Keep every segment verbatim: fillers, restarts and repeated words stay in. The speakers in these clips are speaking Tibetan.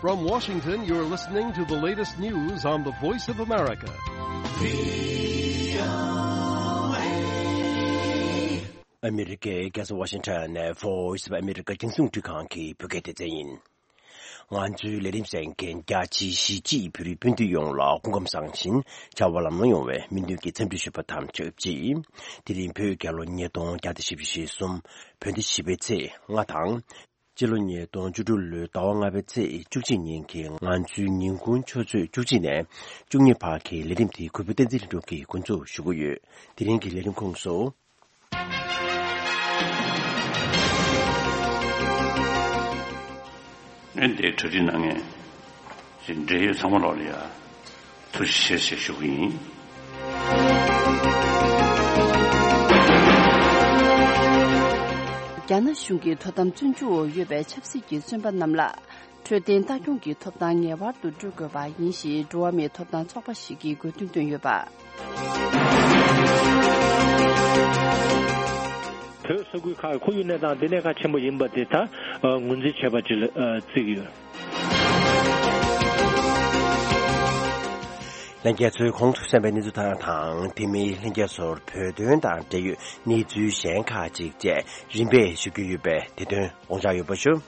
From Washington, you're listening to the latest news on the Voice of America. ཨ་མི་རི་ཀའི་རྒྱལ་ས་ཝ་ཤིང་ཊོན་ནས་Voice of America རྒྱང་སྲིང་འཕྲིན་ཁང་གི་བོད་སྐད་སྡེ་ཚན་ཡིན། ང་ཚོའི་ལས་རིམ་གསན་མཁན་རྒྱ་ཆེའི་གཞིས་བྱེས་བོད་རིགས་སྤུན་ཟླ་ཡོངས་ལ་སྐུ་ཁམས་བཟང་ཞིང་བྱ་བ་ལམ་ལྷོང་ཡོང་བའི་སྨོན་འདུན་གྱི་འཚམས་འདྲི་ཞུ་བ་དང་ཆབས་ཅིག་དེ་རིང་བོད་རྒྱལ་ལོ་ཉིས་སྟོང་བརྒྱ་དང་བཞི་བཅུ་ཞེ་གསུམ། བོད་ཟླ་བཞི་པའི་ཚེས་ལྔ་དང་། སྤྱི་ལོ་ཉིས་སྟོང་བཅུ་དྲུག་ལོའི་ཟླ་བ་ལྔ་པའི་ཚེས་བཅུ་གཅིག་ཉིན་གྱི་ང་ཚོའི་ཉིན་གུང་ཆུ་ཚོད་བཅུ་གཅིག་ནས་བཅུ་གཉིས་བར་གྱི་ལས་རིམ་དེ་གུས་པ་བསྟན་འཛིན་ལྷུན་གྲུབ་ཀྱིས་འགོ་འཛུགས་ཞུ་གི་ཡོད། དེ་རིང་གི་ལས་རིམ་ཁོངས་སུ། ཨེ་འདས་གྲ་སྒྲིག་གནང་མཁན་ཞིག་འབྲེལ་ཡོད་ཚང་མ་ལོག་ལ་ཡ་ཐུགས་རྗེ་ཆེ་ཞེས་ཞུ་གི་ཡིན། རྒྱ་ནག་གཞུང་གི་དོ་དམ་བཙོན་འཇུག་འོག་ཡོད་པའི་ཆབ་སྲིད་ཀྱི་བཙོན་པ་རྣམས་ལ། འཕྲོད་བསྟེན་ལྟ་སྐྱོང་གི་ཐོབ་ཐང་ངེས་པར་དུ་སྤྲོད་དགོས་པ་ཡིན་ཞེས་འགྲོ་བ་མིའི་ཐོབ་ཐང་ཚོགས་པ་ཞིག་གིས་དགོས་འདུན་བཏོན་ཡོད་པ། བོད་ས་ཁུལ་ཁག་ཁོར་ཡུག་གནས་སྟངས་འདི་གནད་འགག་ཆེན་པོ་ཡིན་པ་དེ་ད་ངོས་འཛིན་བྱས་པ་ཅིག་ལ་བརྩི་གི་ཡོད། ལྷན་རྒྱས་ཚོས་གོང་དུ་གསན་པའི་གནས་ཚུལ་དག་དང་དེ་མིན་ལྷན་རྒྱས་ཚོར་བོད་དོན་དང་འབྲེལ་ཡོད་གནས་ཚུལ་གཞན་ཁག་ཅིག་བཅས་རིམ་པས་ཞུ་རྒྱུ་ཡོད་པས་དེ་དོན་དགོངས་འཇགས་ཡོད་པ་ཞུ།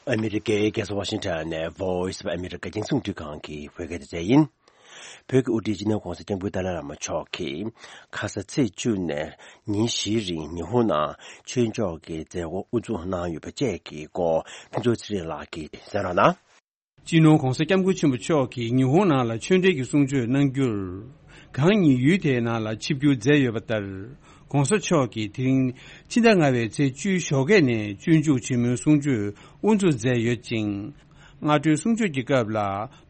ཨ་མི་རི་ཀའི་རྒྱལ་ས་ཝ་ཤིང་ཊོན་ནས་Voice of America རྒྱང་སྲིང་འཕྲིན་ཁང་གི་བོད་སྐད་སྡེ་ཚན་ཡིན། བོད་ཀྱི་དབུ་ཁྲིད་སྤྱི་ནོར་༸གོང་ས་༸སྐྱབས་མགོན་ཏཱ་ལའི་བླ་མ་མཆོག་གིས་ཁ་ས་ཚེས་བཅུ་ནས་ཉིན་བཞིའི་རིང་ཉི་ཧོང་ནང་ཆོས་ཕྱོགས་ཀྱི་མཛད་སྒོ་དབུ་འཛུགས་གནང་ཡོད་པ་བཅས་ཀྱི་སྐོར་ཕུན་ཚོགས་ཚེ་རིང་ལགས་ཀྱིས་གསན་རོགས་གནང་། སྤྱི་ནོར་༸གོང་ས་༸སྐྱབས་མགོན་ཆེན་པོ་མཆོག་གིས་ཉི་ཧོང་ནང་ལ་ཆོས་འབྲེལ་གྱི་གསུང་ཆོས་གནང་རྒྱུར། གང་ཉིད་ཡུལ་དེའི་ནང་ལ་ཆིབས་བསྒྱུར་མཛད་ཡོད་པ་ལྟར། ༸གོང་ས་མཆོག་གིས་དེ་རིང་ཕྱི་ཟླ་ལྔ་པའི་ཚེས་བཅུའི་ཞོགས་ཀས་ནས་སྤྱོད་འཇུག་ཆེན་མོའི་གསུང་ཆོས་དབུ་འཛུགས་མཛད་ཡོད་ཅིང་། སྔ་དྲོའི་གསུང་ཆོས་ཀྱི་སྐབས་ལ་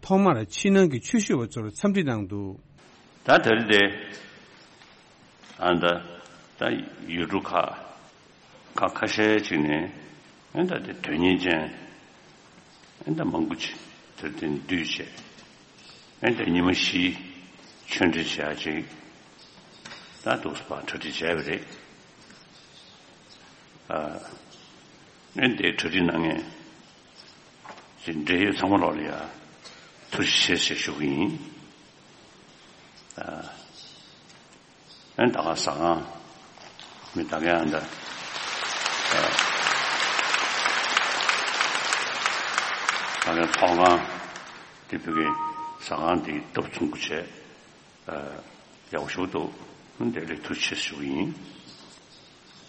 ཐོག་མར་ཕྱི་ནང་གི་ཆོས་ཞུ་བ་ཚོར་འཚམས་འདྲི་གནང་འདུག་ད་དེ་རིང་དེ། ཨ་ད་ད་ཡུལ་གྲུ་ཁག་ཁག་ཁ་ཤས་ཅིག་ནས་ཨ་ད་དེ་དོན་གཉེར་ཅན་ཨ་ད་མང་པོ་ཅིག་དེར་དེ་འདུས་བྱས་ཨ་ད་ཉི་མ་བཞི་ཆོས་འབྲེལ་བྱ་ཅིག་ད་འདུག་སེ་ཕར་གྲ་སྒྲིག་བྱས་པ་རེད། ཨ་ཨ་འདས་གྲ་སྒྲིག་གནང་མཁན་ཅིག་འབྲེལ་ཡོད་ཚང་མ་ལོག་ལ་ཡ་ཐུགས་རྗེ་ཆེ་ཞེས་ཞུ་གི་ཡིན། ཨ། ཨན་ད་ག་ཟ་ཁང་། མི་ད་ག་ཨན་ད། ཨ། ད་ག་ཚོགས་ཁང་། དེ་བོད་ཀྱི་ཟ་ཁང་དེ་སྟབས་ཚུགས་པོ་བྱས། ཨ། ཡག་པོ་ཞིག་འདུག་ཨན་དེ་ལས་ཐུགས་རྗེ་ཆེ་ཞུ་གི་ཡིན།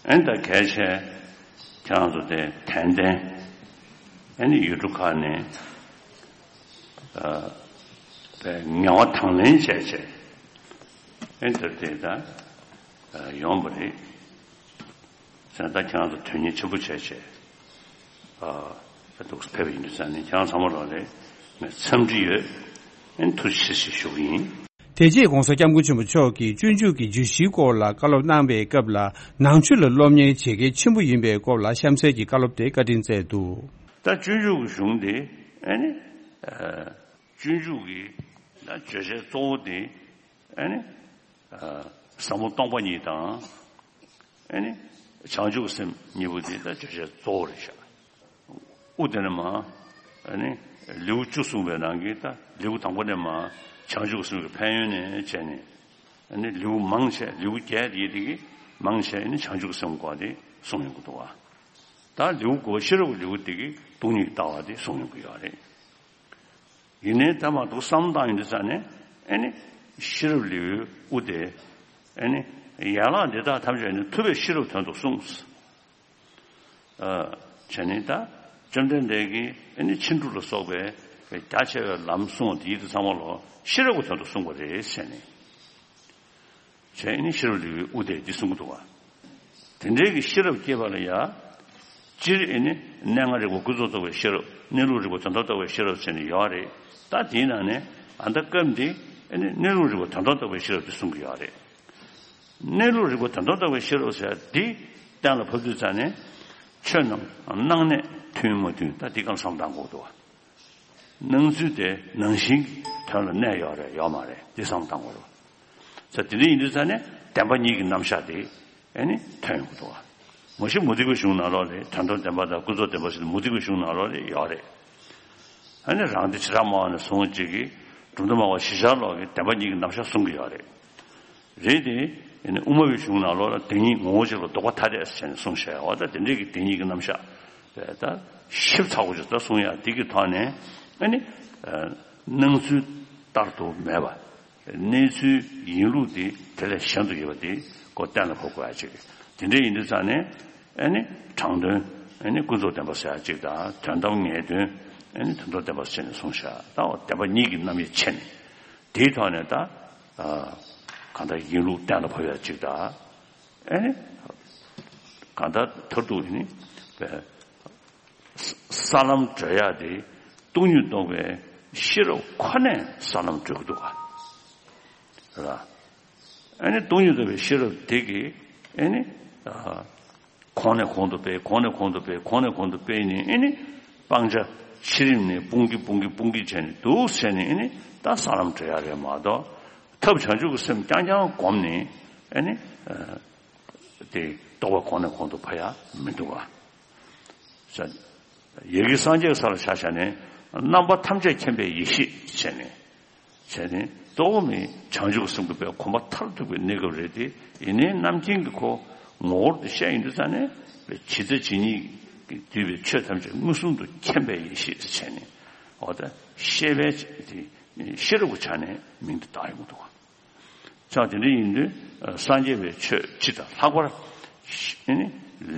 ཨན་ད་གལ་ཆེ། ཁྱེད་རང་ཚོ་དེ་ཏན་ཏན། ཨན་ནི་ཡུལ་གྲུ་ཁག་ནས། ཨ། པའི་ངལ་བ་དང་ལེན་བྱས་བྱས། ཨེ་འདིར་དེ་ད་ཡོང་བ་རེད། ཟེར་ད་ཁྱེད་རང་ཚོ་དོན་གཉེར་ཆེན་པོ་བྱས་བྱས། ཨ་ད་འདུག་སེ་ཕེབས་པ་ཡིན་དུས་ཙང་ནས་ཁྱེད་རང་ཚང་མ་ལོག་ལ་ངས་འཚམས་འདྲི་ཡོད། ཨེ་ཐུགས་རྗེ་ཆེ་ཞེས་ཞུ་གི་ཡིན། དེ་རྗེས་༸གོང་ས་༸སྐྱབས་མགོན་ཆེན་པོ་མཆོག་གིས་སྤྱོད་འཇུག་གི་བརྗོད་གཞིའི་སྐོར་ལ་བཀའ་སློབ་གནང་བའི་སྐབས་ལ་ནང་ཆོས་ལ་སློབ་གཉེར་བྱེད་གལ་ཆེན་པོ་ཡིན་པའི་སྐོར་ལ་གཤམ་གསལ་གྱི་བཀའ་སློབ་དེ་བཀའ་དྲིན་སྩལ་འདུག་ད་སྤྱོད་འཇུག་གི་གཞུང་དེ་ཨེ་ནི། སྤྱོད་འཇུག་གི་ད་བརྗོད་བྱའི་གཙོ་བོ་དེ་ཨ་ནི་ཟབ་མོ་སྟོང་པ་ཉིད་དང་ཨ་ནི་བྱང་ཆུབ་སེམས་གཉིས་པོ་དེ་ད་བརྗོད་བྱའི་གཙོ་བོ་རེད་ཤག་དབུ་དེ་ནས་མར་ཨ་ནི་ལེའུ་བཅུ་གསུངས་པའི་ནང་གི་ད་ལེའུ་དང་པོ་ནས་མར་བྱང་ཆུབ་སེམས་ཀྱི་ཕན་ཡོན་ནས་བྱས་ནས་ཨ་ནི་ལེའུ་མང་ཆེ་ལེའུ་བརྒྱད་དེ་དེ་གི་མང་ཆེ་ཨ་ནི་བྱང་ཆུབ་སེམས་སྐོར་དེ་གསུངས་ཡོང་གི་འདུག་བ། ད་ལེའུ་དགུ་པ་ཤེས་རབ་ལེའུ་དེ་གི་སྟོང་ཉིད་ལྟ་བ་དེ་གསུངས་ཡོང་གི་ཡོད་རེད། ཡིན་ནའི་ད་མ་གཏོགས་བསམ་བློ་བཏང་ཡོང་དུས་ཙང་ནས་ཨེ་ནི་ཤེས་རབ་ལེའུའི་དབུ་དེ་ཨེ་ནི་ཡན་ལག་འདི་དག་ཐམས་ཅད་ནི་ཐུབ་པས་ཤེས་རབ་དོན་དུ་གསུངས། ཨ་བྱས་ནས་ད་བཅོམ་ལྡན་འདས་ཀྱིས་ཨེ་ནི་ཕྱིན་དྲུག་ལ་སོགས་པའི་རྒྱ་ཆེ་བའི་ལམ་གསུངས་པ་དེ་ཡིད་དུ་ཚང་མ་ལོ་ཤེས་རབ་ཀྱི་དོན་དུ་གསུངས་པ་རེད་ཟེར་ནས། བྱས་ནས་ཤེས་རབ་ལེའུའི་དབུ་དེ་འདི་གསུང་གི་འདུག་བ། དེ་འདྲའི་གི་ཤེས་རབ་སྐྱེས་པ་ལ་ཡ། སྤྱིར་ཨེ་ནི་གནས་ལྔ་རིག་པ་ཀུན་རྫོབ་རྟོགས་པའི་ཤེས་རབ། གནས་ལུགས་རིག་པ་དོན་དམ་རྟོགས་པའི་ཤེས་རབ་ཟེར་ནས་ཡོད་རེད། ད་དེའི་ནང་ནས་ཨ་ད་སྐབས་འདི་ཨེ་ནི་གནས་ལུགས་རིག་པ་དོན་དམ་རྟོགས་པའི་ཤེས་རབ་དེ་གསུང་གི་ཡོད་རེད། གནས་ལུགས་རིག་པ་དོན་དམ་རྟོགས་པའི་ཤེས་རབ་ཟེར་འདི་གཏན་ལ་ཕབ་དུས་ཙང་ནས་ཆོས་རྣམས་སྣང་གནས་མཐུན་མ་མཐུན་ད་འདི་གང་བསམ་བཏང་དགོས་འདུག་བ། སྣང་ཚུལ་དེ་ནང་བཞིན་གྱི་དོན་ལ་གནས་ཡོད་རེད་ཡོད་མ་རེད་འདི་བསམ་བཏང་དགོས་རེད། ས་དེ་འདྲ་ཡིན་དུས་ཙང་ནས་ བདེན་པ་གཉིས་ཀྱི་རྣམ་གཞག་དེ་ཨ་ནི་ཐོན་ཡོང་གི་འདུག་བ། མ་གཞི་མུ་སྟེགས་པའི་གཞུང་ནང་ལོགས་ལ་དོན་དམ་བདེན་པ་དང་ཀུན་རྫོབ་བདེན་པ་ཟེར་ནས་མུ་སྟེགས་པའི་གཞུང་ནང་ལོགས་ལ་ཡོད་རེད། ཨ་ནི་རང་སྡེ་བྱེ་བྲག་སྨྲ་བ་ནས་བཟུང་བ་ཅིག་གིས་སྒྲོ་འདོགས་སྨྲ་བ་གཞི་ཤར་ལོགས་ཀྱི་བདེན་པ་གཉིས་ཀྱི་རྣམ་གཞག་གསུང་གི་ཡོད་རེད། རེད་དེ། ཨ་ནི་དབུ་མ་པའི་གཞུང་ནང་ལོགས་ལ་བདེན་གཉིས་ངོ་བོ་གཅིག་ལ་ལྡོག་པ་ཐ་དད་ཟེར་ནས་གསུངས་བཞག་ཡོད་བ། ད་དེ་འདྲའི་གི་བདེན་གཉིས་ཀྱི་རྣམ་གཞག་དེ་ད་ཞིབ་ཚགས་པོ་ཅིག་ད་གསུང་ཡག་དེ་གི་ཐོག་ནས་ཨ་ནི་ཨ་སྣང་ཚུལ་ལྟར་དུ་མེད་པ། གནས་ཚུལ་ཡིན་ལུགས་དེ་དེ་ལས་གཞན་དུ་ཡོད་པ་དེ་ཁོ་གཏན་ལ་ཕབ་དགོས་ཡ་ཅིག་དེ་འདྲ་ཡིན་དུས་ཙང་ནས་ཨ་ནི་དྲང་དོན་ཨ་ནི་ཀུན་རྫོབ་བདེན་པ་ཟེར་ཡ་ཅིག་དང་དོན་དམ་ངེས་དོན་ཨ་ནི་དོན་རྟོགས་བདེན་པ་ཟེར་ནས་གསུངས་བཞག་ད་འོ་བདེན་པ་གཉིས་ཀྱི་རྣམ་དབྱེ་ཕྱེ་ནས་དེའི་ཐོག་ནས་ད་ཨ་གང་ལྟར་ཡིན་ལུགས་གཏན་ལ་ཕབ་ཡ་ཅིག་དང་ཨ་ནི་གང་ལྟར་མཐར་ཐུག་ཨ་ནི་ས་ལམ་བགྲོད་ཡག་དེ་སྟོང་ཉིད་རྟོགས་པའི་ཤེས་རབ་ཁོ་ནས་ས་ལམ་བགྲོད་ཀྱི་འདུག་ག་རེད་པ། ཨ་ནི་སྟོང་ཉིད་རྟོགས་པའི་ཤེས་རབ་དེ་གིས་ཨ་ནི་ཨ་གོང་ནས་གོང་དུ་སྤེལ། གོང་ནས་གོང་དུ་སྤེལ། གོང་ནས་གོང་དུ་སྤེལ་ནས་ཨ་ནི་སྤང་བྱ་ཕྱི་རིམ་ནས་སྤུངས་ཀྱིན་སྤུངས་ཀྱིན་སྤུངས་ཀྱིན་བྱས་ནས་འདུག་ཟེར་ནས་ཨ་ནི་ད་ས་ལམ་བགྲོད་ཡག་རེད་མ་གཏོགས་ཐབས་བྱང་ཆུབ་ཀྱི་སེམས་རྐྱང་རྐྱང་བསྒོམས་ནས་ཨ་ནི་ཨ་དེ་རྟོགས་པ་གོང་ནས་གོང་དུ་འཕེལ་ཡག་མི་འདུག་ག་ཡ་གི་སངས་རྒྱས་ས་ལ་ཆ་བཞག་ནས་རྣམ་པ་ཐམས་ཅད་མཁྱེན་པའི་ཡེ་ཤེས་བྱས་ནས། བྱས་ནས་གཙོ་བོ་ནི་བྱང་ཆུབ་སེམས་ཀྱི་པའི་གོམས་པ་མཐར་ཐུག་པའི་གནས་སྐབས་རེད་དེ། ཡིན་ནའི་རྣམ་མཁྱེན་གྱི་ཁོ་ངོ་བོར་དུ་བཤད་ཡོང་དུས་ཙང་ནས་ཇི་ལྟ་ཇི་སྙེད་ཀྱིས་བསྡུས་པའི་ཆོས་ཐམས་ཅད་མངོན་སུམ་དུ་མཁྱེན་པའི་ཡེ་ཤེས་བྱས་ནས་འོ་ད་ཤེས་པའི་དེ་ཤེས་རབ་ཀྱི་ཆ་ནས་མིང་དུ་བཏགས་ཡོང་གི་འདུག་ག་ཆ་དེ་འདྲ་ཡིན་དུས་སངས་རྒྱས་པའི་ཆོས་སྤྱི་དང་ལྷག་པར་ཤ་ནི་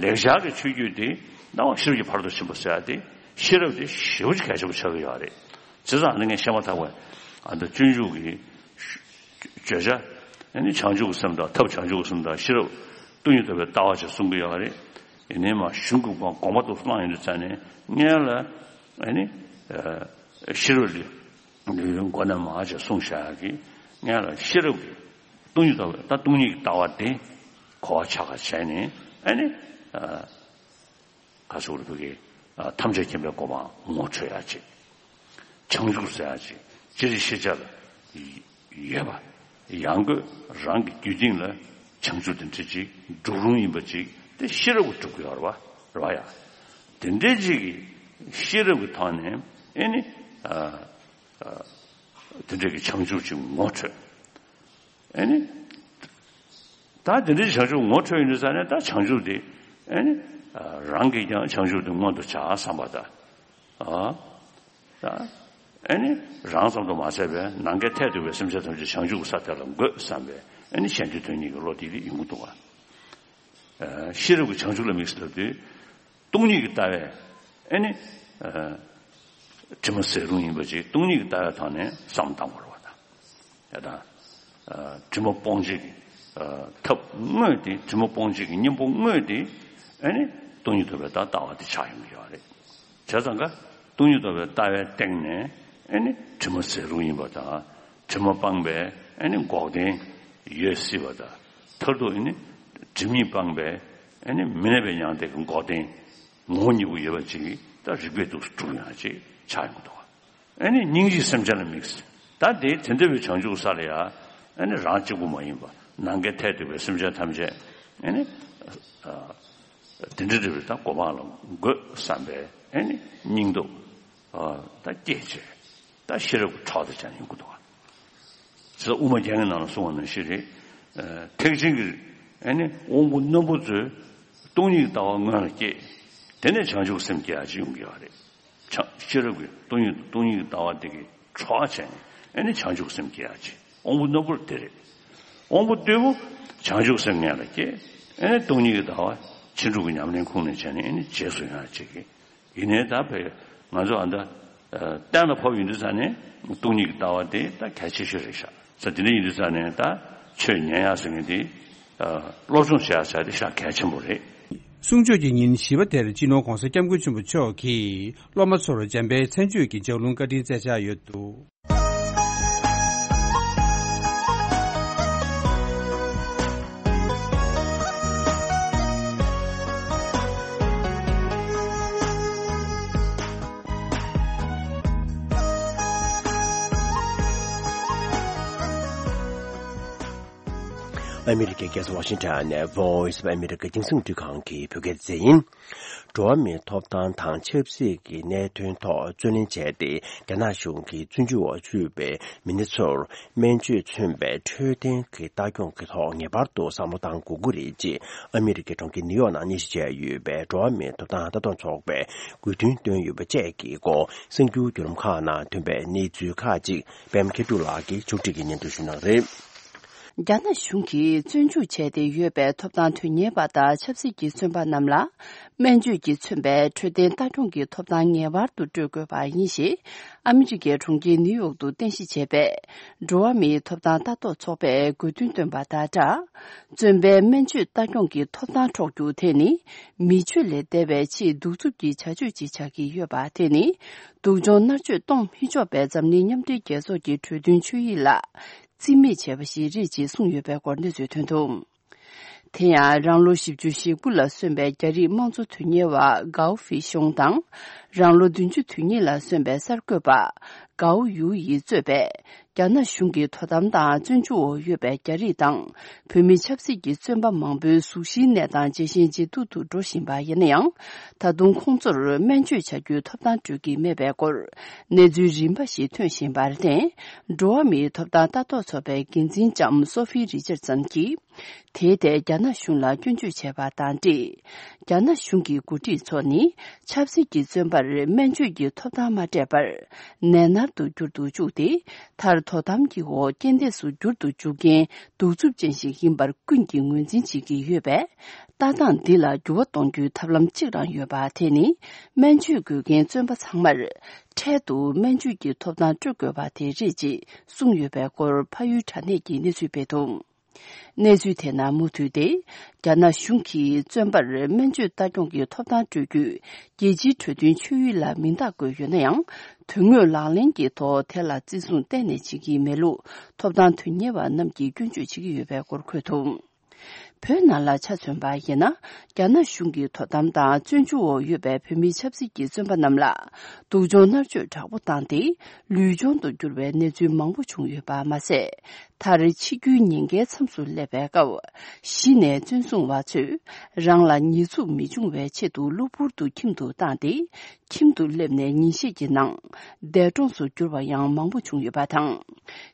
ལེགས་སྦྱར་གྱི་ཆོས་བརྒྱུད་དེ་སྣང་བ་ཤེས་རབ་ཀྱི་ཕ་རོལ་ཏུ་ཕྱིན་པ་ཟེར་ཡ་དེ་ཤེས་རབ་དེ་ཞེ་པོ་ཅིག་གལ་ཆེན་པོ་ཆགས་ཀྱི་ཡོད་རེད། བྱས་ཙང་ཨ་ནི་ངས་བཤད་མ་ཐག་པ་ཨ་ད་སྤྱོད་འཇུག་གི་བརྗོད་བྱ་ཨ་ནི་བྱང་ཆུབ་ཀྱི་སེམས་དང་ཐབས་བྱང་ཆུབ་ཀྱི་སེམས་དང་ཤེས་རབ་སྟོང་ཉིད་རྟོགས་པའི་ལྟ་བ་ཅིག་གསུང་གི་ཡོད་རེད། ཡིན་ནའི་མ་གཞུང་གི་དགོངས་པ་དུ་བླངས་ཡོང་དུས་ཙང་ནས་སྔོན་ལ་ཨ་ནི་ཤེས་རབ་ལས། འདི་མགོ་ནས་མར་ཅིག་གསུངས་བཞག་གི་སྔོན་ལ་ཤེས་རབ་ཀྱི་སྟོང་ཉིད་ལྟ་བ་ད་སྟོང་ཉིད་ཀྱི་ལྟ་བ་དེ་གོ་བ་ཆགས་པ་བྱས་ནས་ཨ་ནི་ག་སོགས་རུ་ཕ་གི་ཐམས་ཅད་མཁྱེན་པའི་གོ་འཕང་ངོ་འཕྲོད་ཡག་ཅིག་བྱང་ཆུབ་ཟེར་ཡག་ཅིག་སྤྱིར་ཤེས་བྱ་ལ་ཡོད་པ་ཡང་སྒོས་རང་གི་རྒྱུད་སྟེང་ལ་བྱང་ཆུབ་དེ་འདྲ་ཅིག་འགྲུབ་རུང་ཡིན་པ་ཅིག་དེ་ཤེས་རབ་ཀྱིས་གྲུབ་ཀྱི་ཡོད་རེད་བ། རེད་བ་ཡ། དེ་འདྲ་ཅིག་གི་ཤེས་རབ་ཀྱི་ཐོག་ནས་ཨ་ནི། དེ་འདྲ་གི་བྱང་ཆུབ་ཅིག་ངོ་འཕྲོད། ཨ་ནི། ད་དེ་འདྲའི་བྱང་ཆུབ་ངོ་འཕྲོད་ཡོང་དུས་ཙང་ནས་ད་བྱང་ཆུབ་དེ་ཨ་ནི། རང་གིས་ཀྱང་བྱང་ཆུབ་དེ་མངོན་དུ་བྱ་བསམ་པ་དང་། ཨ། ད་ཨ་ནི་རང་ཙམ་དུ་མ་ཟད་པའི་ནམ་མཁའི་མཐས་གཏུགས་པའི་སེམས་ཅན་ཐམས་ཅད་བྱང་ཆུབ་ཀྱི་ས་དེ་ལ་འགོད་བསམ་པའི་ཨ་ནི་གཞན་དོན་དོན་གཉིས་ཀྱི་བློ་དེ་ཡིན་གྱི་འདུག་ག་ཤེས་རབ་ཀྱི་བྱང་ཆུབ་ལ་དམིགས་སུ་ལབ་དུས། སྟོང་ཉིད་ཀྱི་ལྟ་བས་ཨ་ནི། དྲི་མ་ཟད་རུང་ཡིན་པ་ཅིག་སྟོང་ཉིད་ཀྱི་ལྟ་བའི་ཐོག་ནས་བསམ་བློ་བཏང་དགོས་རེད་བ་ད། ཡ་ད། དྲི་མ་སྤོང་བྱེད་ཀྱི་ཐབས་དངོས་དེ་དྲི་མ་སྤོང་བྱེད་ཀྱི་གཉེན་པོ་དངོས་དེ་ཨ་ནི་སྟོང་ཉིད་རྟོགས་པའི་ད་ལྟ་བ་དེ་ཆགས་ཡོང་གི་ཡོད་རེད། བྱས་ཙང་ཀ་སྟོང་ཉིད་རྟོགས་པའི་ལྟ་བའི་སྟེང་ནས་ཨ་ནི་དྲི་མ་ཟད་རུང་ཡིན་པ་དང་དྲི་མ་སྤངས་པའི་ཨ་ནི་འགོག་བདེན་ཡོད་སྲིད་པ་དང་མཐར་ཐུག་ཨ་ནི་དྲི་མ་སྤངས་པའི་ཨ་ནི་མི་གནས་པའི་མྱང་འདས་ཀྱི་འགོག་བདེན། ངོ་བོ་གཉིས་པོ་ཡོད་པ་ཅིག་ད་རིགས་པས་འདུག་སྒྲུབ་ཡོང་ཅིག་ཆགས་ཡོང་གི་འདུག་ཨ་ནི་སྙིང་རྗེའི་སེམས་ཅན་ལ་དམིགས། ད་དེ་དེ་འདྲ་བའི་བྱང་ཆུབ་ས་ལ་ཡ་ཨ་ནི་རང་གཅིག་པུ་མ་ཡིན་པ་ནམ་མཁའི་མཐས་གཏུགས་པའི་སེམས་ཅན་ཐམས་ཅད་ཨ་ནི་དེ་འདྲ་འདྲ་བའི་ད་གོ་འཕང་ལ་འགོད་བསམ་པའི་ཨ་ནི་སྙིང་སྟོབས་ད་སྐྱེས་བྱས། ད་ཤེས་རབ་ཀྱི་གྲོགས་དེ་ཅང་ཡོང་གི་འདུག་ག་དབུ་མ་རྒྱན་གྱི་ནང་ལ་གསུངས་པ་ནང་བཞིན་རེད། ཐེག་ཆེན་གྱི་ཨ་ནི་དབང་པོ་རྣོན་པོ་ཚོས་སྟོང་ཉིད་ཀྱི་ལྟ་བ་སྔོན་ལ་སྐྱེས། དེ་ནས་བྱང་ཆུབ་སེམས་སྐྱེ་ཡག་ཅིག་ཡོང་གི་ཡོད་རེད། བྱང་ཤེས་རབ་ཀྱི་སྟོང་ཉིད་སྟོང་ཉིད་ཀྱི་ལྟ་བ་དེ་གི་གྲོགས་བྱས་ནས་ཨ་ནི་བྱང་ཆུབ་སེམས་སྐྱེ་ཡག་ཅིག་དབང་པོ་རྣོན་པོར་དེ་རེད། དབང་པོ་རྟུལ་པོ་བྱང་ཆུབ་སེམས་སྔོན་ལ་སྐྱེས། ཨ་ནི་སྟོང་ཉིད་ཀྱི་ལྟ་བ་ཕྱིན་དྲུག་གི་ཉམས་ལེན་ཁུངས་ནས་བྱས་ནས་ཨ་ནི་རྗེས་སུ་ཡོང་ཡག་ཅིག་གི་ཡིན་ནའི་ད་བས་ང་ཚོ་ཨ་ད་གཏན་ལ་ཕབ་ཡིན་དུས་ཙང་ནས་སྟོང་ཉིད་ཀྱི་ལྟ་བ་དེ་ད་གལ་ཆེ་ཤོས་རེད་ཤག་ས་དེ་འདྲ་ཡིན་དུས་ཙང་ནས་ད་ཆོས་ཉན་ཡག་ཟེར་མཁན་དེ་སློབ་སྦྱོང་བྱེད་ཡག་ཟེར་དེ་ཤག་གལ་ཆེན་པོ་རེད། གསུང་ཆོས་ཀྱི་ཉིན་བཞི་པ་དེར་སྤྱི་ནོར་༧གོང་ས་༧སྐྱབས་མགོན་ཆེན་པོ་མཆོག་གིས་སློབ་མ་ཚོར་འཇམ་དཔལ་མཚན་བརྗོད་ཀྱི་ལྗགས་ལུང་བཀའ་དྲིན་སྩལ་འཆར་ཡོད་འདུག་ཨ་མི་རི་ཀའི་རྒྱལ་ས་ཝ་ཤིང་ཊོན་ནས་Voice of America་རྒྱང་སྲིང་རླུང་འཕྲིན་ཁང་གི་བོད་སྐད་སྡེ་ཚན་ཡིན། འགྲོ་བ་མིའི་ཐོབ་ཐང་དང་ཆབ་སྲིད་ཀྱི་གནད་དོན་ཐོག་རྩོད་ལེན་བྱས་ཏེ། རྒྱ་ནག་གཞུང་གིས་བཙོན་འཇུག་འོག་ཚུད་པའི་མི་སྣ་ཚོར་སྨན་བཅོས་མཚོན་པའི་འཕྲོད་བསྟེན་གྱི་ལྟ་སྐྱོང་གི་ཐོག་ངེས་པར་དུ་བསམ་བློ་གཏང་དགོས་ཀྱི་རེད་ཅེས། ཨ་མི་རི་ཀའི་གྲོང་ཁྱེར་ནིའུ་ཡོག་ནང་གནས་གཞི་བྱས་ཡོད་པའི་འགྲོ་བ་མིའི་ཐོབ་ཐང་ལྟ་རྟོག་ཚོགས་པས་དགོས་འདུན་བཏོན་ཡོད་པ་བཅས་ཀྱི་སྐོར། གསར་འགྱུར་བརྒྱུད་ལམ་ཁག་ནང་ཐོན་པའི་གནས་ཚུལ་ཁག་ཅིག་པད་མ་མཁས་གྲུབ་ལགས་ཀྱིས་ཕྱོགས་སྒྲིག་གིས་སྙན་སྒྲོན་ཞུ་གནང་གི་རེད། རྒྱ་ནག་གཞུང་གིས་བཙོན་འཇུག་བྱས་ཏེ་ཡོད་པའི་ཐོབ་ཐང་དོན་གཉེར་པ་དང་ཆབ་སྲིད་ཀྱི་བཙོན་པ་རྣམས་ལ། སྨན་བཅོས་ཀྱིས་མཚོན་པའི་འཕྲོད་བསྟེན་ལྟ་སྐྱོང་གི་ཐོབ་ཐང་ངེས་པར་དུ་སྤྲོད་དགོས་པ་ཡིན་ཞེས། ཨ་མི་རི་ཀའི་གྲོང་ཁྱེར་ནིའུ་ཡོག་ཏུ་རྟེན་གཞི་བྱས་པའི་འགྲོ་བ་མིའི་ཐོབ་ཐང་ལྟ་རྟོག་ཚོགས་པས་དགོས་འདུན་བཏོན་པ་དང་སྦྲགས། བཙོན་པའི་སྨན་བཅོས་ལྟ་སྐྱོང་གི་ཐོབ་ཐང་འཕྲོག་རྒྱུ་དེ་ནི། མི་ཆོས་ལས་འདས་པའི་ཆེས་གདུག་རྩུབ་ཀྱི་བྱ་སྤྱོད་ཅིག་ཆགས་ཀྱི་ཡོད་པ་དེ་ནི། སྡུག་སྦྱོང་མནར་གཅོད་གཏོང་མི་ཆོག་པའི་འཛམ་གླིང་མཉམ་འབྲེལ་རྒྱལ་ཚོགས་ཀྱི་གྲོས་མཐུན་ཆོད་ཡིག་ལ། རྩིས་མེད་བྱས་པ་ཞིག་རེད་ཅེས་གསུངས་ཡོད་པའི་སྐོར་གནས་ཚུལ་ཐོན་འདུག་དེ་ཡང་རང་ལོ་བཞི་བཅུ་ཞེ་དགུ་ལ་སོན་པའི་རྒྱ་རིགས་དམངས་གཙོ་དོན་གཉེར་བ་གའོ་ཧྥི་ཤོང་དང་། རང་ལོ་བདུན་ཅུ་དོན་གཉིས་ལ་སོན་པའི་གསར་འགོད་པ་གའོ་ཡུའུ་ཡིས་གཙོས་པའི་རྒྱ་ནག་གཞུང་གི་དོ་དམ་དང་བཙོན་འཇུག་འོག་ཡོད་པའི་རྒྱ་རིགས་དང་། བོད་མི་ཆབ་སྲིད་ཀྱི་བཙོན་པ་མང་པོའི་གཟུགས་གཞིའི་གནས་སྟངས་ཇེ་ཞན་ཇེ་སྡུག་ཏུ་འགྲོ་བཞིན་པ་ཡིན་ན་ཡང་། ད་དུང་ཁོང་ཚོར་སྨན་བཅོས་བྱ་རྒྱུའི་ཐོབ་ཐང་སྤྲོད་ཀྱི་མེད་པའི་སྐོར། གནས་ཚུལ་རིམ་པ་ཞིག་ཐོན་བཞིན་པར་བརྟེན། འགྲོ་བ་མིའི་ཐོབ་ཐང་ལྟ་རྟོག་ཚོགས་པའི་འགན་འཛིན་ལྕམ་སོ་ཧྥི་རི་ཅར་སན་གྱིས། དེའི་ཐད་རྒྱ་ནག་གཞུང་ལ་སྐྱོན་བརྗོད་བྱས་པ་དང་འབྲེལ། རྒྱ་ནག་གཞུང་གི་འགོ་ཁྲིད་ཚོ་ནི་ཆབ་སྲིད་ཀྱི་བཙོན་པར་སྨན་བཅོས་ཀྱི་ཐོབ་ཐང་མ་སྤྲད་པར་ནད་མནར་དུ་འགྱུར་དུ་བཅུག་སྟེ། མཐར་དོ་དམ་གྱི་འོག་རྐྱེན་འདས་སུ་འགྱུར་དུ་འཇུག་མཁན་གདུག་རྩུབ་ཅན་ཞིག་ཡིན་པར་ཀུན་གྱིས་ངོས་འཛིན་བྱེད་ཀྱི་ཡོད་པས། ལྟ་སྟངས་འདི་ལ་འགྱུར་བ་གཏོང་རྒྱུའི་ཐབས་ལམ་གཅིག་རང་ཡོད་པ་དེ་ནི། སྨན་བཅོས་དགོས་མཁན་བཙོན་པ་ཚང་མར་འཕྲལ་དུ་སྨན་བཅོས་ཀྱི་ཐོབ་ཐང་སྤྲོད་དགོས་པ་དེ་རེད་ཅེས་གསུངས་ཡོད་པའི་སྐོར་ཕ་ཡུལ་དྲ་གནས་ཀྱིས་གནས་ཚུལ་སྤེལ་འདུག་གནས་ཚུལ་དེ་ནང་མུ་མཐུད་དེ། རྒྱ་ནག་གཞུང་གིས་བཙོན་པར་སྨན་བཅོས་ལྟ་སྐྱོང་གི་ཐོབ་ཐང་སྤྲོད་རྒྱུའི་རྒྱལ་སྤྱིའི་གྲོས་མཐུན་ཆོད་ཡིག་ལ་མིང་རྟགས་བཀོད་ཡོད་ན་ཡང་། དོན་དངོས་ལག་ལེན་གྱི་ཐོག་དེ་ལ་བརྩི་སྲུང་གཏན་ནས་བྱེད་ཀྱི་མེད་ལུགས་ཐོབ་ཐང་དོན་གཉེར་བ་རྣམས་ཀྱིས་སྐྱོན་བརྗོད་བྱེད་ཀྱི་ཡོད་པའི་སྐོར་འཁོད་འདུག་བོད་ནང་ལ་ཆ་མཚོན་པ་ཡིན་ན། རྒྱ་ནག་གཞུང་གི་དོ་དམ་དང་བཙོན་འཇུག་འོག་ཡོད་པའི་བོད་མིའི་ཆབ་སྲིད་ཀྱི་བཙོན་པ་རྣམས་ལ། སྡུག་སྦྱོང་མནར་གཅོད་དྲག་པོ་བཏང་སྟེ། ལུས་སྦྱོང་དུ་གྱུར་བའི་གནས་ཚུལ་མང་པོ་བྱུང་ཡོད་པ་མ་ཟད། མཐར་འཆི་རྒྱུའི་ཉེན་ཁའི་མཚམས་སུ་སླེབས་པའི་སྐབས། གཞི་ནས་བཙོན་སྲུང་བ་ཚོས། རང་ལ་ཉེས་འཛུགས་མི་འབྱུང་བའི་ཆེད་དུ་གློ་བུར་དུ་ཁྱིམ་དུ་བཏང་སྟེ། ཁྱིམ་དུ་སླེབས་ནས་ཉིན་ཤས་ཀྱི་ནང་། འདས་གྲོངས་སུ་གྱུར་པ་ཡང་མང་པོ་བྱུང་ཡོད་པ་དང་།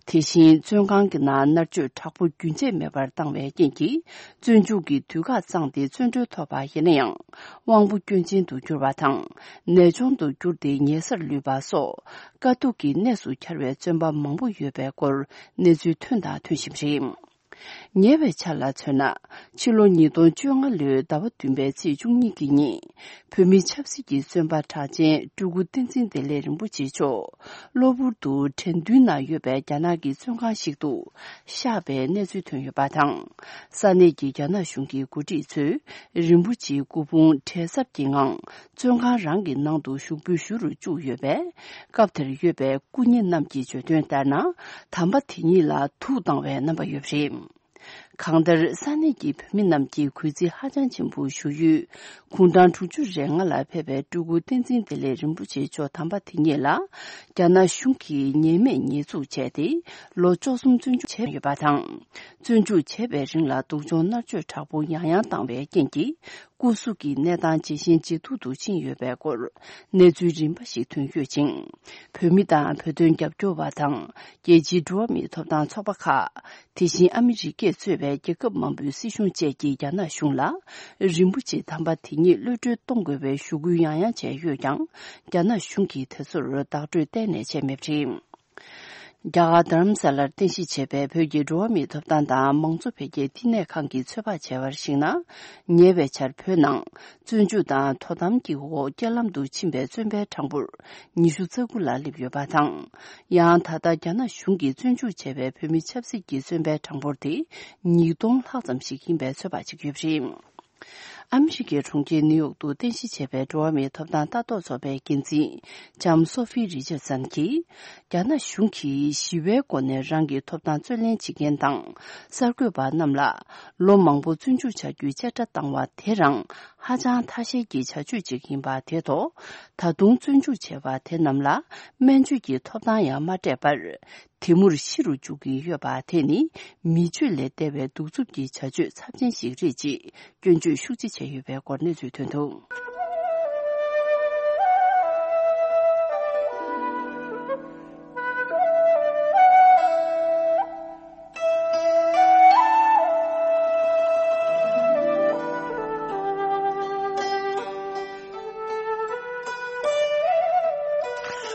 དེ་བཞིན་བཙོན་ཁང་གི་ནང་མནར་གཅོད་དྲག་པོ་རྒྱུན་ཆད་མེད་པར་བཏང་བའི་རྐྱེན་གྱིས། བཙོན་འཇུག་གི་དུས་བཀག་བཙངས་ཏེ་བཙོན་གྲོལ་ཐོབ་པ་ཡིན་ན་ཡང་། དབང་པོ་སྐྱོན་ཅན་དུ་གྱུར་བ་དང་། ནད་གཅོང་དུ་གྱུར་ཏེ་ཉལ་སར་ལུས་པ་སོགས། དཀའ་སྡུག་གི་གནས་སུ་གྱར་བའི་བཙོན་པ་མང་པོ་ཡོད་པའི་སྐོར་གནས་ཚུལ་ཐོན་དང་ཐོན་བཞིན་པ་རེད། ཉེ་བའི་ཆར་ལ་མཚོན་ན། ཕྱི་ལོ་ཉིས་སྟོང་བཅོ་ལྔ་ལོའི་ཟླ་བ་བདུན་པའི་ཚེས་བཅུ་གཉིས་ཀྱི་ཉིན། བོད་མི་ཆབ་སྲིད་ཀྱི་བཙོན་པ་གྲགས་ཅན་སྤྲུལ་སྐུ་བསྟན་འཛིན་བདེ་ལེགས་རིན་པོ་ཆེ་མཆོག་གློ་བུར་དུ་དྲན་རྟེན་ནང་ཡོད་པའི་རྒྱ་ནག་གི་བཙོན་ཁང་ཞིག་ཏུ་གཤེགས་པའི་གནས་ཚུལ་ཐོན་ཡོད་པ་དང་། ས་གནས་ཀྱི་རྒྱ་ནག་གཞུང་གི་འགོ་ཁྲིད་ཚོས་རིན་པོ་ཆེའི་སྐུ་ཕུང་བྲེལ་འཚུབ་ཀྱི་ངང་བཙོན་ཁང་རང་གི་ནང་དུ་ཞུགས་འབུལ་ཞུ་རུ་བཅུག་ཡོད་པས། སྐབས་དེར་ཡོད་པའི་སྐུ་ཉིད་རྣམས་ཀྱིས་བརྗོད་དོན་ལྟར་ན། དམ་པ་དེ་ཉིད་ལ་དུག་བཏང་བའི་རྣམ་པ་ཡོད་པ་རེད། གང་ལྟར་ས་གནས་ཀྱི་བོད་མི་རྣམས་ཀྱིས་གུས་བརྩི་ཧ་ཅང་ཆེན་པོ་ཞུ་ཡུལ། དགུང་གྲངས་དྲུག་ཅུ་རེ་ལྔ་ལ་ཕེབས་པའི་སྤྲུལ་སྐུ་བསྟན་འཛིན་བདེ་ལེགས་རིན་པོ་ཆེ་མཆོག་དམ་པ་དེ་ཉིད་ལ། རྒྱ་ནག་གཞུང་གིས་ཉེས་མེད་ཉེས་འཛུགས་བྱས་ཏེ། ལོ་བཅུ་གསུམ་བཙོན་འཇུག་བྱས་ཡོད་པ་དང་། བཙོན་འཇུག་བྱས་པའི་རིང་ལ་སྡུག་སྦྱོང་མནར་གཅོད་དྲག་པོ་ཡང་ཡང་བཏང་བའི་རྐྱེན་གྱིས། སྐུ་གཟུགས་ཀྱི་གནས་སྟངས་ཇེ་ཞན་ཇེ་སྡུག་ཏུ་ཕྱིན་ཡོད་པའི་སྐོར་གནས་ཚུལ་རིམ་པ་ཞིག་ཐོན་ཡོད་ཅིང་། བོད་མི་དང་བོད་དོན་རྒྱབ་སྐྱོར་བ་དང་། རྒྱལ་སྤྱིའི་འགྲོ་བ་མིའི་ཐོབ་ཐང་ཚོགས་པ་ཁག་དེ་བཞིན་ཨ་མི་རི་ཀས་གཙོས་པའི་རྒྱལ་ཁབ་མང་པོའི་སྲིད་གཞུང་བཅས་ཀྱིས་རྒྱ་ནག་གཞུང་ལ། རིན་པོ་ཆེ་དམ་པ་དེ་ཉིད་གློད་གྲོལ་གཏོང་དགོས་པའི་ཞུ་སྐུལ་ཡང་ཡང་བྱས་ཡོད་ཀྱང་། རྒྱ་ནག་གཞུང་གིས་དེ་ཚོར་བདག་སྤྲོད་གཏན་ནས་བྱས་མེད་པ་རེད། རྒྱ་གར་རྡ་རམ་ས་ལར་རྟེན་གཞི་བྱས་པའི་བོད་ཀྱི་འགྲོ་བ་མིའི་ཐོབ་ཐང་དང་མང་གཙོ་འཕེལ་རྒྱས་བསྟི་གནས་ཁང་གིས་ཚོད་དཔག་བྱས་པར་གཞིགས་ན། ཉེ་བའི་ཆར་བོད་ནང་བཙོན་འཇུག་དང་དོ་དམ་གྱི་འོག་རྐྱེན་ལམ་དུ་ཕྱིན་པའི་བཙོན་པའི་གྲངས་འབོར་ཉི་ཤུ་རྩ་དགུ་ལ་སླེབས་ཡོད་པ་དང་། ཡང་ད་ལྟ་རྒྱ་ནག་གཞུང་གིས་བཙོན་འཇུག་བྱས་པའི་བོད་མི་ཆབ་སྲིད་ཀྱི་བཙོན་པའི་གྲངས་འབོར་དེ་ཉིས་སྟོང་ལྷག་ཙམ་ཞིག་ཡིན་པའི་ཚོད་དཔག་བྱེད་ཀྱི་ཡོད་པ་རེད། ཨ་མི་རི་ཀའི་གྲོང་ཁྱེར་ནིའུ་ཡོག་ཏུ་རྟེན་གཞི་བྱས་པའི་འགྲོ་བ་མིའི་ཐོབ་ཐང་ལྟ་རྟོག་ཚོགས་པའི་འགན་འཛིན་ལྕམ་སོ་ཧྥི་རི་ཅར་སན་གྱིས། རྒྱ་ནག་གཞུང་གིས་ཞི་བའི་སྒོ་ནས་རང་གི་ཐོབ་ཐང་རྩོད་ལེན་བྱེད་མཁན་དང་གསར་འགོད་པ་རྣམས་ལ་ལོ་མང་པོ་བཙོན་འཇུག་བྱ་རྒྱུའི་བཅད་ཁྲ་བཏང་བ་དེ་རང་ ཧ་ཅང་ཐ་ཤལ་གྱི་བྱ་སྤྱོད་ཅིག་ཡིན་པ་དེ་ཐོག་ད་དུང་བཙོན་འཇུག་བྱས་པ་དེ་རྣམས་ལ་སྨན་བཅོས་ཀྱི་ཐོབ་ཐང་ཡང་མ་སྤྲད་པར། དེ་མུར་ཤི་རུ་འཇུག་གིན་ཡོད་པ་དེ་ནི་མི་སྤྱོད་ལས་འདས་པའི་གདུག་རྩུབ་ཀྱི་བྱ་སྤྱོད་ཚབས་ཆེན་ཞིག་རེད་ཅེས་སྐྱོན་བརྗོད་ཤུགས་ཆེ་བྱས་ཡོད་པའི་སྐོར་གནས་ཚུལ་ཐོན་འདུག་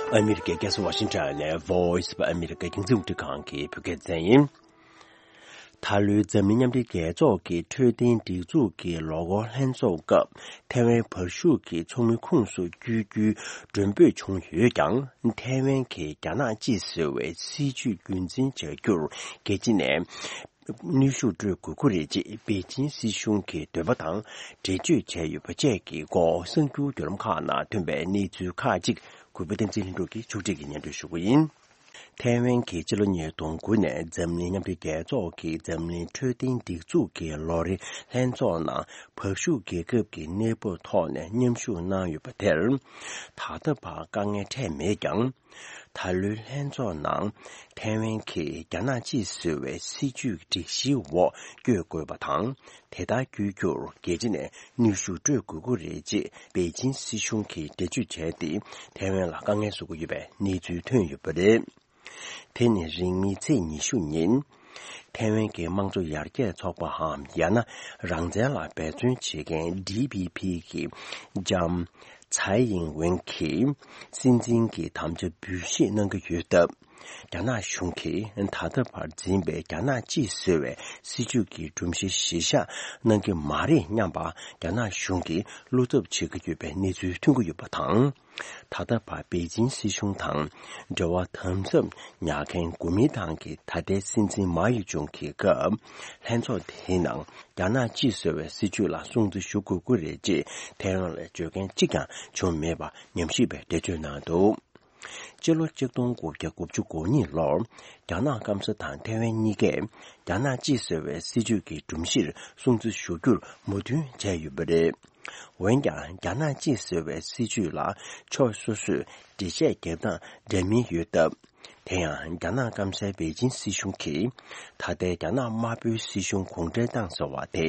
ཨ་མི་རི་ཀའི་རྒྱལ་ས་ཝ་ཤིང་ཊོན་ནས་Voice of America རྒྱང་སྲིང་རླུང་འཕྲིན་ཁང་གི་བོད་སྐད་སྡེ་ཚན་ཡིན། ད་ལོའི་འཛམ་གླིང་མཉམ་འབྲེལ་རྒྱལ་ཚོགས་ཀྱི་འཕྲོད་བསྟེན་སྒྲིག་འཛུགས་ཀྱི་ལོ་འཁོར་ལྷན་ཚོགས་སྐབས་ཐའེ་ཝན་བར་བཞུགས་ཀྱི་ཚོགས་མི་ཁོངས་སུ་བསྐྱོད་རྒྱུའི་མགྲོན་འབོད་བྱུང་ཡོད་ཀྱང་། ཐའེ་ཝན་གྱིས་རྒྱ་ནག་གཅིག་ཟེར་བའི་སྲིད་ཇུས་རྒྱུན་འཛིན་བྱ་རྒྱུར་རྒྱལ་སྤྱི་ནས་གནོན་ཤུགས་སྤྲོད་དགོས་ཀྱི་རེད་ཅེས་པེ་ཅིན་སྲིད་གཞུང་གི་འདོད་པ་དང་འགྲེལ་བརྗོད་བྱས་ཡོད་པ་བཅས་ཀྱི་སྐོར་གསར་འགྱུར་བརྒྱུད་ལམ་ཁག་ནང་ཐོན་པའི་གནས་ཚུལ་ཁག་ཅིག་གུས་པ་བསྟན་འཛིན་ལྷུན་གྲུབ་ཀྱིས་ཕྱོགས་སྒྲིག་གིས་སྙན་སྒྲོན་ཞུ་གི་ཡིན། ཐའེ་ཝན་གྱིས་ཕྱི་ལོ་ཉིས་སྟོང་དགུ་ནས་འཛམ་གླིང་མཉམ་འབྲེལ་རྒྱལ་ཚོགས་ཀྱི་འཛམ་གླིང་འཕྲོད་བསྟེན་སྒྲིག་འཛུགས་ཀྱི་ལོ་རེའི་ལྷན་ཚོགས་ནང་བར་བཞུགས་རྒྱལ་ཁབ་ཀྱི་གནས་བབ་ཐོག་ནས་མཉམ་ཞུགས་གནང་ཡོད་པ་དེར། ད་ལྟ་བར་དཀའ་ངལ་འཕྲད་མེད་ཀྱང་། ད་ལོའི་ལྷན་ཚོགས་ནང་ཐའེ་ཝན་གྱིས་རྒྱ་ནག་གཅིག་ཟེར་བའི་སྲིད་ཇུས་སྒྲིག་གཞིའི་འོག་བསྐྱོད་དགོས་པ་དང་། དེ་ལྟར་བསྐྱོད་རྒྱུར་རྒྱལ་སྤྱི་ནས་གནོན་ཤུགས་སྤྲོད་དགོས་ཀྱི་རེད་ཅེས་པེ་ཅིན་སྲིད་གཞུང་གིས་འགྲེལ་བརྗོད་བྱས་ཏེ། ཐའེ་ཝན་ལ་དཀའ་ངལ་བཟོ་གི་ཡོད་པའི་གནས་ཚུལ་ཐོན་ཡོད་པ་རེད། དེ་ནི་རིང་མིན་ཚེས་ཉི་ཤུ་ཉིན། ཐའེ་ཝན་གྱི་དམངས་གཙོ་ཡར་རྒྱས་ཚོགས་པའམ་ཡང་ན་རང་བཙན་ལ་འབད་བརྩོན་བྱེད་མཁན་ཌི་པི་པི་གི་ལྕམ་ཚའེ་ཡིང་ཝེན་གྱིས་སྲིད་འཛིན་གྱི་དམ་བཅའ་འབུལ་བཞེས་གནང་གི་ཡོད་སྟབས། རྒྱ་ནག་གཞུང་གིས་ད་ལྟ་བར་འཛིན་པའི་རྒྱ་ནག་གཅིག་ཟེར་བའི་སྲིད་ཇུས་ཀྱི་སྒྲོམ་གཞི་གཞིར་བཞག་གནང་གི་མ་རེད་སྙམ་པ་རྒྱ་ནག་གཞུང་གིས་བློ་འཚབ་བྱེད་ཀྱི་ཡོད་པའི་གནས་ཚུལ་ཐོན་གྱི་ཡོད་པ་དང་། ད་ལྟ་བར་པེ་ཅིན་སྲིད་གཞུང་དང་འབྲེལ་བ་དམ་ཟབ་ཉར་མཁན་གོ་མིན་ཏང་གི་ད་ལྟའི་སྲིད་འཛིན་མའོ་ཡེ་ཅུང་གི་སྐབས། ལྷན་ཚོགས་དེའི་ནང་རྒྱ་ནག་གཅིག་ཟེར་བའི་སྲིད་ཇུས་ལ་སྲུང་བརྩི་ཞུ་དགོས་ཀྱི་རེད་ཅེས་ཐའེ་ཝན་ལ་བརྗོད་མཁན་གཅིག་ཀྱང་བྱུང་མེད་པ་ཉམས་ཞིབ་པས་འགྲེལ་བརྗོད་གནང་འདུག་སྤྱི་ལོ་གཅིག་སྟོང་དགུ་བརྒྱ་དགུ་བཅུ་གོ་གཉིས་ལོར་རྒྱ་ནག་སྐམ་ས་དང་ཐའེ་ཝན་གཉིས་ཀས་རྒྱ་ནག་གཅིག་ཟེར་བའི་སྲིད་ཇུས་ཀྱི་སྒྲོམ་གཞིར་སྲུང་བརྩི་ཞུ་རྒྱུར་མོས་མཐུན་བྱས་ཡོད་པ་རེད། འོན་ཀྱང་རྒྱ་ནག་གཅིག་ཟེར་བའི་སྲིད་ཇུས་ལ་ཕྱོགས་སོ་སོས་འགྲེལ་བཤད་རྒྱབ་སྟངས་འདྲ་མིན་ཡོད་སྟབས། དེ་ཡང་རྒྱ་ནག་སྐམ་སའི་པེ་ཅིན་སྲིད་གཞུང་གིས་ད་ལྟའི་རྒྱ་ནག་དམར་པོའི་སྲིད་གཞུང་གུང་ཁྲན་ཏང་ཟེར་བ་དེ་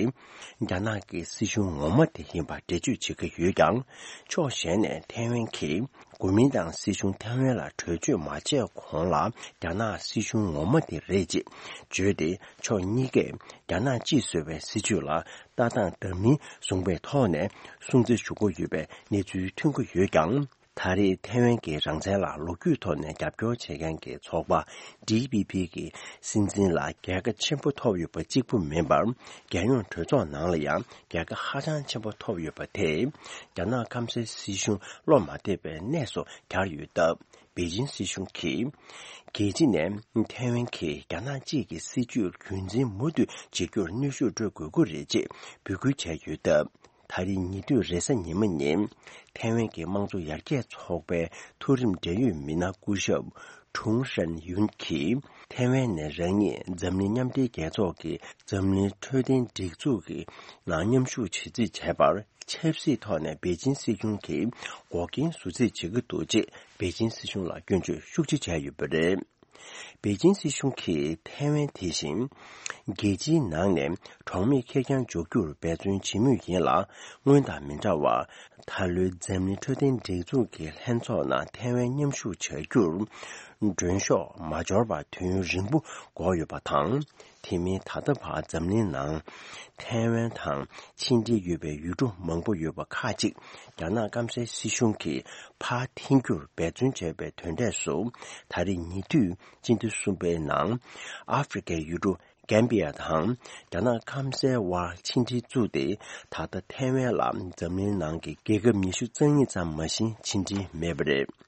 རྒྱ་ནག་གི་སྲིད་གཞུང་ངོ་མ་དེ་ཡིན་པར་འགྲེལ་བརྗོད་བྱེད་ཀྱི་ཡོད་ཀྱང་། ཕྱོགས་གཞན་ནས་ཐའེ་ཝན་གྱིས་གོ་མིན་ཏང་སྲིད་གཞུང་ཐའེ་ཝན་ལ་གྲོས་ཆོད་མ་བྱས་གོང་ལ་རྒྱ་ནག་སྲིད་གཞུང་ངོ་མ་དེ་རེད་ཅེས་བརྗོད་དེ། ཕྱོགས་གཉིས་ཀས་རྒྱ་ནག་གཅིག་ཟེར་བའི་སྲིད་ཇུས་ལ་ལྟ་སྟངས་འདྲ་མིན་བཟུང་པའི་ཐོག་ནས་སྲུང་བརྩི་ཞུ་དགོས་ཡོད་པའི་གནས་ཚུལ་ཐོན་གྱི་ཡོད་ཀྱང་། ད་རེས་ཐའེ་ཝན་གྱི་རང་བཙན་ལ་ལོ་རྒྱུས་ཐོག་ནས་རྒྱབ་སྐྱོར་བྱེད་མཁན་གྱི་ཚོགས་པ་ཌི་པི་པི་གི་སྲིད་འཛིན་ལ་རྒྱལ་ཁ་ཆེན་པོ་ཐོབ་ཡོད་པ་གཅིག་པུ་མིན་པར། རྒྱལ་ཡོངས་གྲོས་ཚོགས་ནང་ལ་ཡང་རྒྱལ་ཁ་ཧ་ཅང་ཆེན་པོ་ཐོབ་ཡོད་པ་དེས། རྒྱ་ནག་སྐམ་སའི་སྲིད་གཞུང་བློ་མ་བདེ་བའི་གནས་སུ་གྱར་ཡོད་སྟབས། པེ་ཅིན་སྲིད་གཞུང་གིས། རྒྱལ་སྤྱི་ནས་ཐའེ་ཝན་གྱིས་རྒྱ་ནག་གཅིག་གི་སྲིད་ཇུས་རྒྱུན་འཛིན་མུ་མཐུད་བྱེད་རྒྱུར་གནོན་ཤུགས་སྤྲོད་དགོས་ཀྱི་རེད་ཅེས་འབོད་སྐུལ་བྱས་ཡོད་སྟབས། ད་རེས་ཉེ་དུས་རེས་གཟའ་ཉི་མ་ཉིན། ཐའེ་ཝན་གྱི་དམངས་གཙོ་ཡར་རྒྱས་ཚོགས་པའི་མཐོ་རིམ་འབྲེལ་ཡོད་མི་སྣ་སྐུ་ཞབས་ཁྲུང་ཧྲན་ཡུན་གྱིས། ཐའེ་ཝན་ནས་རང་ཉིད་འཛམ་གླིང་མཉམ་འབྲེལ་རྒྱལ་ཚོགས་ཀྱི་འཛམ་གླིང་འཕྲོད་བསྟེན་སྒྲིག་འཛུགས་ཀྱི་ནང་མཉམ་ཞུགས་བྱེད་རྩིས་བྱས་པར། ཆབ་སྲིད་ཐོག་ནས་པེ་ཅིན་སྲིད་གཞུང་གིས་འགོག་རྐྱེན་བཟོ་རྩིས་བྱེད་ཀྱི་འདུག་ཅེས་པེ་ཅིན་སྲིད་གཞུང་ལ་སྐྱོན་བརྗོད་ཤུགས་ཆེ་བྱས་ཡོད་པ་རེད། པེ་ཅིན་སྲིད་གཞུང་གིས་ཐའེ་ཝན་དེ་བཞིན་རྒྱལ་སྤྱིའི་ནང་ནས་གྲོང་མིའི་ཁེར་རྐྱང་འཇོག་རྒྱུར་འབད་བརྩོན་བྱེད་མུས་ཡིན་ལ། སྔོན་དང་མི་འདྲ་བར། ད་ལོའི་འཛམ་གླིང་འཕྲོད་བསྟེན་སྒྲིག་འཛུགས་ཀྱི་ལྷན་ཚོགས་ནང་ཐའེ་ཝན་མཉམ་ཞུགས་བྱ་རྒྱུར་མགྲོན་ཤོག་མ་འབྱོར་བར་དུས་ཡུན་རིང་པོ་འགོར་ཡོད་པ་དང་། དེ་མིན་ད་ལྟ་བར་འཛམ་གླིང་ནང་ཐའེ་ཝན་དང་ཕྱི་འབྲེལ་ཡོད་པའི་ཡུལ་གྲུ་མང་པོ་ཡོད་པ་ཁག་ཅིག་རྒྱ་ནག་སྐམ་སའི་སྲིད་གཞུང་གིས་ཕར་འཐེན་རྒྱུར་འབད་བརྩོན་བྱས་པའི་དོན་འབྲས་སུ། ད་རེས་ཉེ་དུས་སྤྱི་ཟླ་གསུམ་པའི་ནང་ཨ་ཧྥེ་རི་ཁའི་ཡུལ་གྲུ་གན་བི་ཡ་དང་རྒྱ་ནག་སྐམ་སའི་དབར་ཕྱི་འབྲེལ་བཙུགས་ཏེ། ད་ལྟ་ཐའེ་ཝན་ལ་འཛམ་གླིང་ནང་གི་རྒྱལ་ཁབ་ཉི་ཤུ་རྩ་གཉིས་ཙམ་མ་ཟིན་ཕྱི་འབྲེལ་མེད་པ་རེད།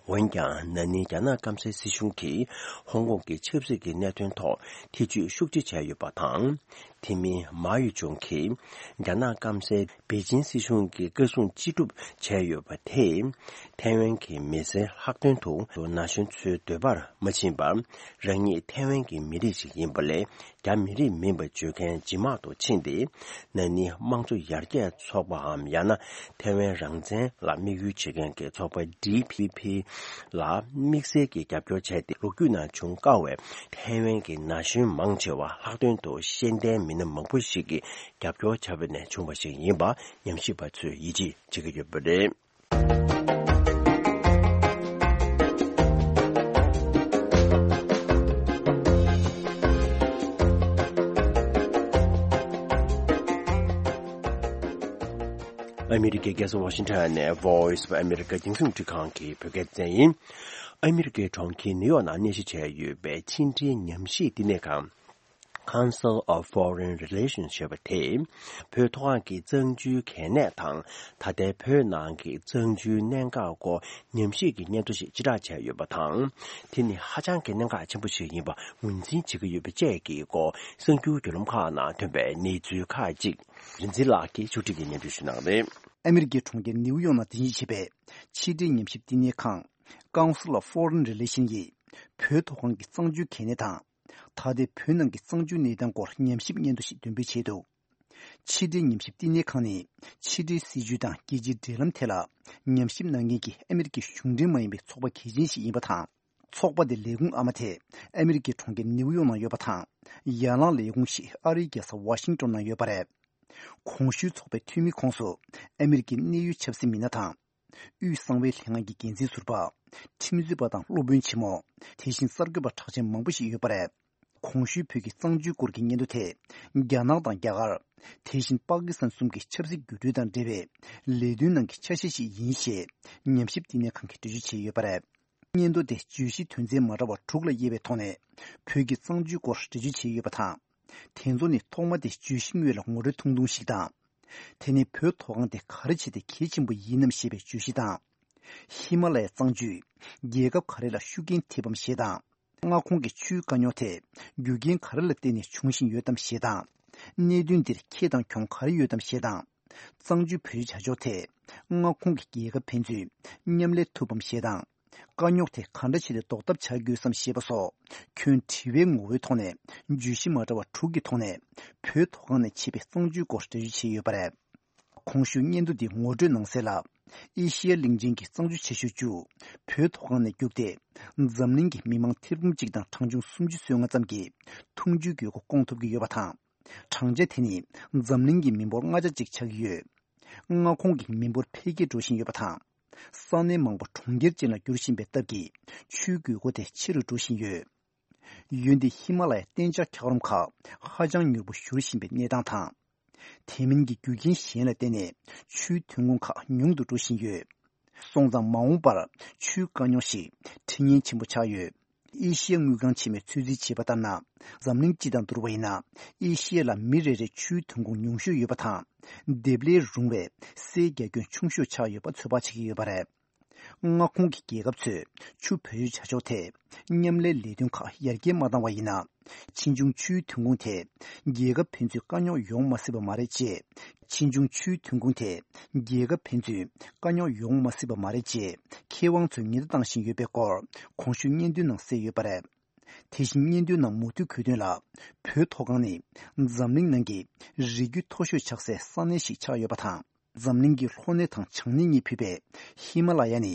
འོན་ཀྱང་ན་ནིང་རྒྱ་ནག་སྐམ་སའི་སྲིད་གཞུང་གིས་ཧོང་ཀོང་གི་ཆབ་སྲིད་ཀྱི་གནད་དོན་ཐོག་ཐེ་བྱུས་ཤུགས་ཆེ་བྱས་ཡོད་པ་དང་། དེ་མིན་མའོ་ཡུ་ཅུང་གིས་རྒྱ་ནག་སྐམ་སའི་པེ་ཅིན་སྲིད་གཞུང་གི་བཀའ་གསུང་ཅི་སྒྲུབ་བྱས་ཡོད་པ་དེས། ཐའེ་ཝན་གྱི་མི་སེར་ལྷག་དོན་དུ་ན་གཞོན་ཚོའི་འདོད་པར་མ་ཕྱིན་པར། རང་ཉིད་ཐའེ་ཝན་གྱི་མི་རིགས་ཤིག་ཡིན་པ་ལས། རྒྱ་མི་རིགས་མིན་པ་བརྗོད་མཁན་ཇི་མ་གཏོགས་ཕྱིན་ཏེ། ན་ནིང་དམངས་གཙོ་ཡར་རྒྱས་ཚོགས་པའམ། ཡང་ན་ཐའེ་ཝན་རང་བཙན་ལ་དམིགས་ཡུལ་བྱེད་མཁན་གྱི་ཚོགས་པ་ཌི་པི་པི་ལ་དམིགས་བསལ་གྱི་རྒྱབ་སྐྱོར་བྱས་ཏེ། ལོ་རྒྱུས་ནང་བྱུང་དཀའ་བའི་ཐའེ་ཝན་གྱི་ན་གཞོན་མང་ཆེ་བ་ལྷག་དོན་དུ་ཤེས་ལྡན་མི་སྣ་མང་པོ་ཞིག་གིས་རྒྱབ་སྐྱོར་བྱས་པ་ནས་བྱུང་བ་ཞིག་ཡིན་པ་ཉམས་ཞིབ་པ་ཚོས་ཡིད་ཆེས་བྱེད་ཀྱི་ཡོད་པ་རེད། ཨ་མི་རི་ཀའི་རྒྱལ་ས་ཝ་ཤིང་ཊོན་ནས་Voice of America་རྒྱང་སྲིང་འཕྲིན་ཁང་གི་བོད་སྐད་སྡེ་ཚན་ཡིན། ཨ་མི་རི་ཀའི་གྲོང་ཁྱེར་ནིའུ་ཡོག་ནང་གནས་གཞི་བྱས་ཡོད་པའི་ཕྱི་འབྲེལ་ཉམས་ཞིབ་བསྟི་གནས་ཁང་། Council of Foreign Relations ཞེས་པ་དེས། བོད་མཐོ་སྒང་གི་གཙང་ཆུའི་གལ་གནད་དང་། ད་ལྟའི་བོད་ནང་གི་གཙང་ཆུའི་གནད་འགག་སྐོར་ཉམས་ཞིབ་ཀྱི་སྙན་ཐོ་ཞིག་ཕྱིར་བསྒྲགས་བྱས་ཡོད་པ་དང་། དེ་ནི་ཧ་ཅང་གི་གནད་འགག་ཆེན་པོ་ཞིག་ཡིན་པ་ངོས་འཛིན་བྱེད་ཀྱི་ཡོད་པ་བཅས་ཀྱི་སྐོར། གསར་འགྱུར་བརྒྱུད་ལམ་ཁག་ནང་ཐོན་པའི་གནས་ཚུལ་ཁག་ཅིག་རིག་འཛིན་ལགས་ཀྱིས་ཕྱོགས་སྒྲིག་གིས་སྙན་སྒྲོན་ཞུ་གནང་བ་རེད། ཨ་མི་རི་ཀའི་གྲོང་ཁྱེར་ནིའུ་ཡོག་ནང་རྟེན་གཞི་བྱས་པའི་ཕྱི་འབྲེལ་ཉམས་ཞིབ་བསྟི་གནས་ཁང་། Council of Foreign Relations ཡིས་བོད་མཐོ་སྒང་གི་གཙང་ཆུའི་གལ་གནད་དང་། ད་ལྟའི་བོད་ནང་གི་གཙང་ཆུའི་གནས་སྟངས་སྐོར་ཉམས་ཞིབ་སྙན་ཐོ་ཞིག་འདོན་སྤེལ་བྱས་འདུག་ཕྱི་འབྲེལ་ཉམས་ཞིབ་བསྟི་གནས་ཁང་ནི་ཕྱི་འབྲེལ་སྲིད་ཇུས་དང་རྒྱལ་སྤྱིའི་འབྲེལ་ལམ་ཐད་ལ་ཉམས་ཞིབ་གནང་མཁན་གྱི་ཨ་མི་རི་ཀའི་གཞུང་འབྲེལ་མ་ཡིན་པའི་ཚོགས་པ་གལ་ཆེན་ཞིག་ཡིན་པ་དང་། ཚོགས་པ་དེ་ལས་ཁུངས་ཨ་མ་དེ་ཨ་མི་རི་ཀའི་གྲོང་ཁྱེར་ནིའུ་ཡོག་ནང་ཡོད་པ་དང་། ཡན་ལག་ལས་ཁུངས་ཤིག་ཨ་རིའི་རྒྱལ་ས་ཝ་ཤིང་ཏོན་ནང་ཡོད་པ་རེད། གོང་ཞུས་ཚོགས་པའི་འཐུས་མི་ཁོངས་སུ་ཨ་མི་རི་ཀའི་གནད་ཡོད་ཆབ་སྲིད་མི་སྣ་དང་། དབུས་གསང་བའི་ལྷན་ཁང་གི་འགན་འཛིན་ཟུར་པ། ཁྲིམས་རྩོད་པ་དང་སློབ་དཔོན་ཆེན་མོ། དེ་བཞིན་གསར་འགོད་པ་གྲགས་ཅན་མང་པོ་ཞིག་ཡོད་པ་རེད། གོང་ཞུས་བོད་ཀྱི་གཙང་ཆུའི་སྐོར་གྱི་སྙན་ཐོ་དེ། རྒྱ་ནག་དང་རྒྱ་གར། དེ་བཞིན་པ་ཀི་སི་ཐན་གསུམ་གྱི་ཆབ་སྲིད་འགྱུར་འགྲོས་དང་འབྲེལ་བའི་ལས་དོན་ནང་གི་ཆ་ཤས་ཤིག་ཡིན་ཞེས། ཉམས་ཞིབ་བསྟི་གནས་ཁང་གིས་འགྲེལ་བརྗོད་བྱས་ཡོད་པ་རེད། སྙན་ཐོ་དེ་བརྗོད་གཞི་དོན་ཚན་མ་འདྲ་བ་དྲུག་ལ་དབྱེ་བའི་ཐོག་ནས། བོད་ཀྱི་གཙང་ཆུའི་སྐོར་འགྲེལ་བརྗོད་བྱས་ཡོད་པ་དང་། དེ་ཚོ་ནི་ཐོག་མ་དེ་བརྗོད་གཞི་དངོས་ལ་ངོ་སྤྲོད་ཐུང་ཐུང་ཞིག་དང་། དེ་ནི་བོད་མཐོ་སྒང་དེ་ག་རེ་བྱས་ཏེ་གལ་ཆེན་པོ་ཡིན་ནམ་ཞེས་པའི་བརྗོད་གཞི་དང་། ཧི་མ་ལ་ཡའི་གཙང་ཆུས་རྒྱལ་ཁབ་ག་རེ་ལ་ཤུགས་རྐྱེན་ཐེབས་པམ་ཞེས་དང་། མངའ་ཁོངས་ཀྱི་ཆུའི་དཀའ་རྙོག་དེ་རྒྱུ་རྐྱེན་ག་རེ་ལ་བརྟེན་ནས་འབྱུང་བཞིན་ཡོད་དམ་ཞེས་དང་། གནད་དོན་འདིར་ཁེ་དང་གྱོང་ག་རེ་ཡོད་དམ་ཞེས་དང་། གཙང་ཆུའི་བོད་རིགས་བྱ་ཕྱོགས་དེ་མངའ་ཁོངས་ཀྱི་རྒྱལ་ཁབ་ཕན་ཚུན་མཉམ་ལས་ཐུབ་བམ་ཞེས་དང་། དཀའ་རྙོག་དེ་ག་འདྲ་བྱས་ཏེ་ཟློག་ཐབས་བྱ་དགོས་སམ་ཞེས་པ་སོགས་ཁྱོན་དྲི་བའི་ངོ་བོའི་ཐོག་ནས་བརྗོད་གཞི་མ་འདྲ་བ་དྲུག་གི་ཐོག་ནས་བོད་མཐོ་སྒང་ནས་མཆེད་པའི་གཙང་ཆུའི་སྐོར་འགྲེལ་བརྗོད་བྱས་ཡོད་པ་རེད། གོང་ཞུས་སྙན་ཐོ་འདི་ངོ་སྤྲོད་གནང་གསལ་ལ། ཨེ་ཤི་ཡ་གླིང་ཆེན་གྱི་གཙང་ཆུ་ཆེ་ཤོས་བཅུ་བོད་མཐོ་སྒང་ནས་རྒྱུགས་ཏེ། འཛམ་གླིང་གི་མི་མང་ཐེར་འབུམ་གཅིག་དང་གྲངས་ཆུང་སུམ་ཅུ་སོ་ལྔ་ཙམ་གྱིས་འཐུང་ཆུའི་དགོས་མཁོ་སྐོང་ཐུབ་ཀྱི་ཡོད་པ་དང་། གྲངས་ཆ་དེ་ནི་འཛམ་གླིང་གི་མི་འབོར་ལྔ་ཆ་གཅིག་ཆགས་ཀྱི་ཡོད། མངའ་ཁོངས་ཀྱི་མི་འབོར་འཕེལ་རྒྱས་འགྲོ་བཞིན་ཡོད་པ་དང་། ས་གནས་མང་པོ་གྲོང་ཁྱེར་ཅན་ལ་འགྱུར་བཞིན་པའི་སྟབས་ཀྱིས་ཆུའི་དགོས་མཁོ་དེ་ཆེ་རུ་འགྲོ་བཞིན་ཡོད། འོན་ཏེ་ཧི་མ་ལ་ཡའི་གཏན་འཇགས་འཁྱགས་རོམ་ཁག་ཧ་ཅང་མྱུར་པོ་བཞུར་བཞིན་པའི་གནས་སྟངས་དང་། དེ་མིན་གྱི་རྒྱུ་རྐྱེན་གཞན་ལ་བརྟེན་ནས་ཆུའི་ཐོན་ཁུངས་ཁག་ཉུང་དུ་འགྲོ་བཞིན་ཡོད། སོང་ཙང་མ་འོངས་པར་ཆུའི་དཀའ་རྙོག་ཞིག་འཕྲད་ཉེན་ཆེན་པོ་ཆགས་ཡོད། ཨེ་ཤི་ཡ་དངུལ་ཁང་ཆེན་མོས་ཚོད་རྩིས་བྱས་པ་ལྟར་ན། འཛམ་གླིང་སྤྱི་དང་བསྡུར་བ་ཡིན་ན། ཨེ་ཤི་ཡ་ལ་མི་རེ་རེར་ཆུའི་ཐོན་ཁུངས་ཉུང་ཤོས་ཡོད་པ་དང་། འདེབས་ལས་རུང་བའི་སའི་རྒྱ་ཁྱོན་ཆུང་ཤོས་ཆགས་ཡོད་པ་ཚོད་དཔག་བྱེད་ཀྱི་ཡོད་པ་རེད། མངའ་ཁོངས་ཀྱི་རྒྱལ་ཁབ་ཚོས་ཆུ་བེད་སྤྱོད་བྱ་ཕྱོགས་ཐད་མཉམ་ལས་ལས་དོན་ཁག་ཡར་རྒྱས་མ་བཏང་བ་ཡིན་ན། ཕྱིས་འབྱུང་ཆུའི་ཐོན་ཁུངས་ཐད་རྒྱལ་ཁབ་ཕན་ཚུན་དཀའ་རྙོག་ཡོང་མ་སྲིད་པ་མ་རེད་ཅེས། ཕྱིས་འབྱུང་ཆུའི་ཐོན་ཁུངས་ཐད་རྒྱལ་ཁབ་ཕན་ཚུན་དཀའ་རྙོག་ཡོང་མ་སྲིད་པ་མ་རེད་ཅེས་མཁས་དབང་ཚོས་ཉེན་བརྡ་བཏང་བཞིན་ཡོད་པའི་སྐོར་གོང་ཞུས་སྙན་ཐོའི་ནང་གསལ་ཡོད་པ་རེད། དེ་བཞིན་སྙན་ཐོའི་ནང་མུ་མཐུད་འཁོད་དོན་ལ། བོད་མཐོ་སྒང་ནི་འཛམ་གླིང་ནང་གི་རི་རྒྱུད་མཐོ་ཤོས་ཆགས་སའི་ས་གནས་ཤིག་ཆགས་ཡོད་པ་དང་། འཛམ་གླིང་གི་ལྷོ་སྣེ་དང་བྱང་སྣེ་གཉིས་ཕུད་པའི་ཧི་མ་ལ་ཡ་ནི་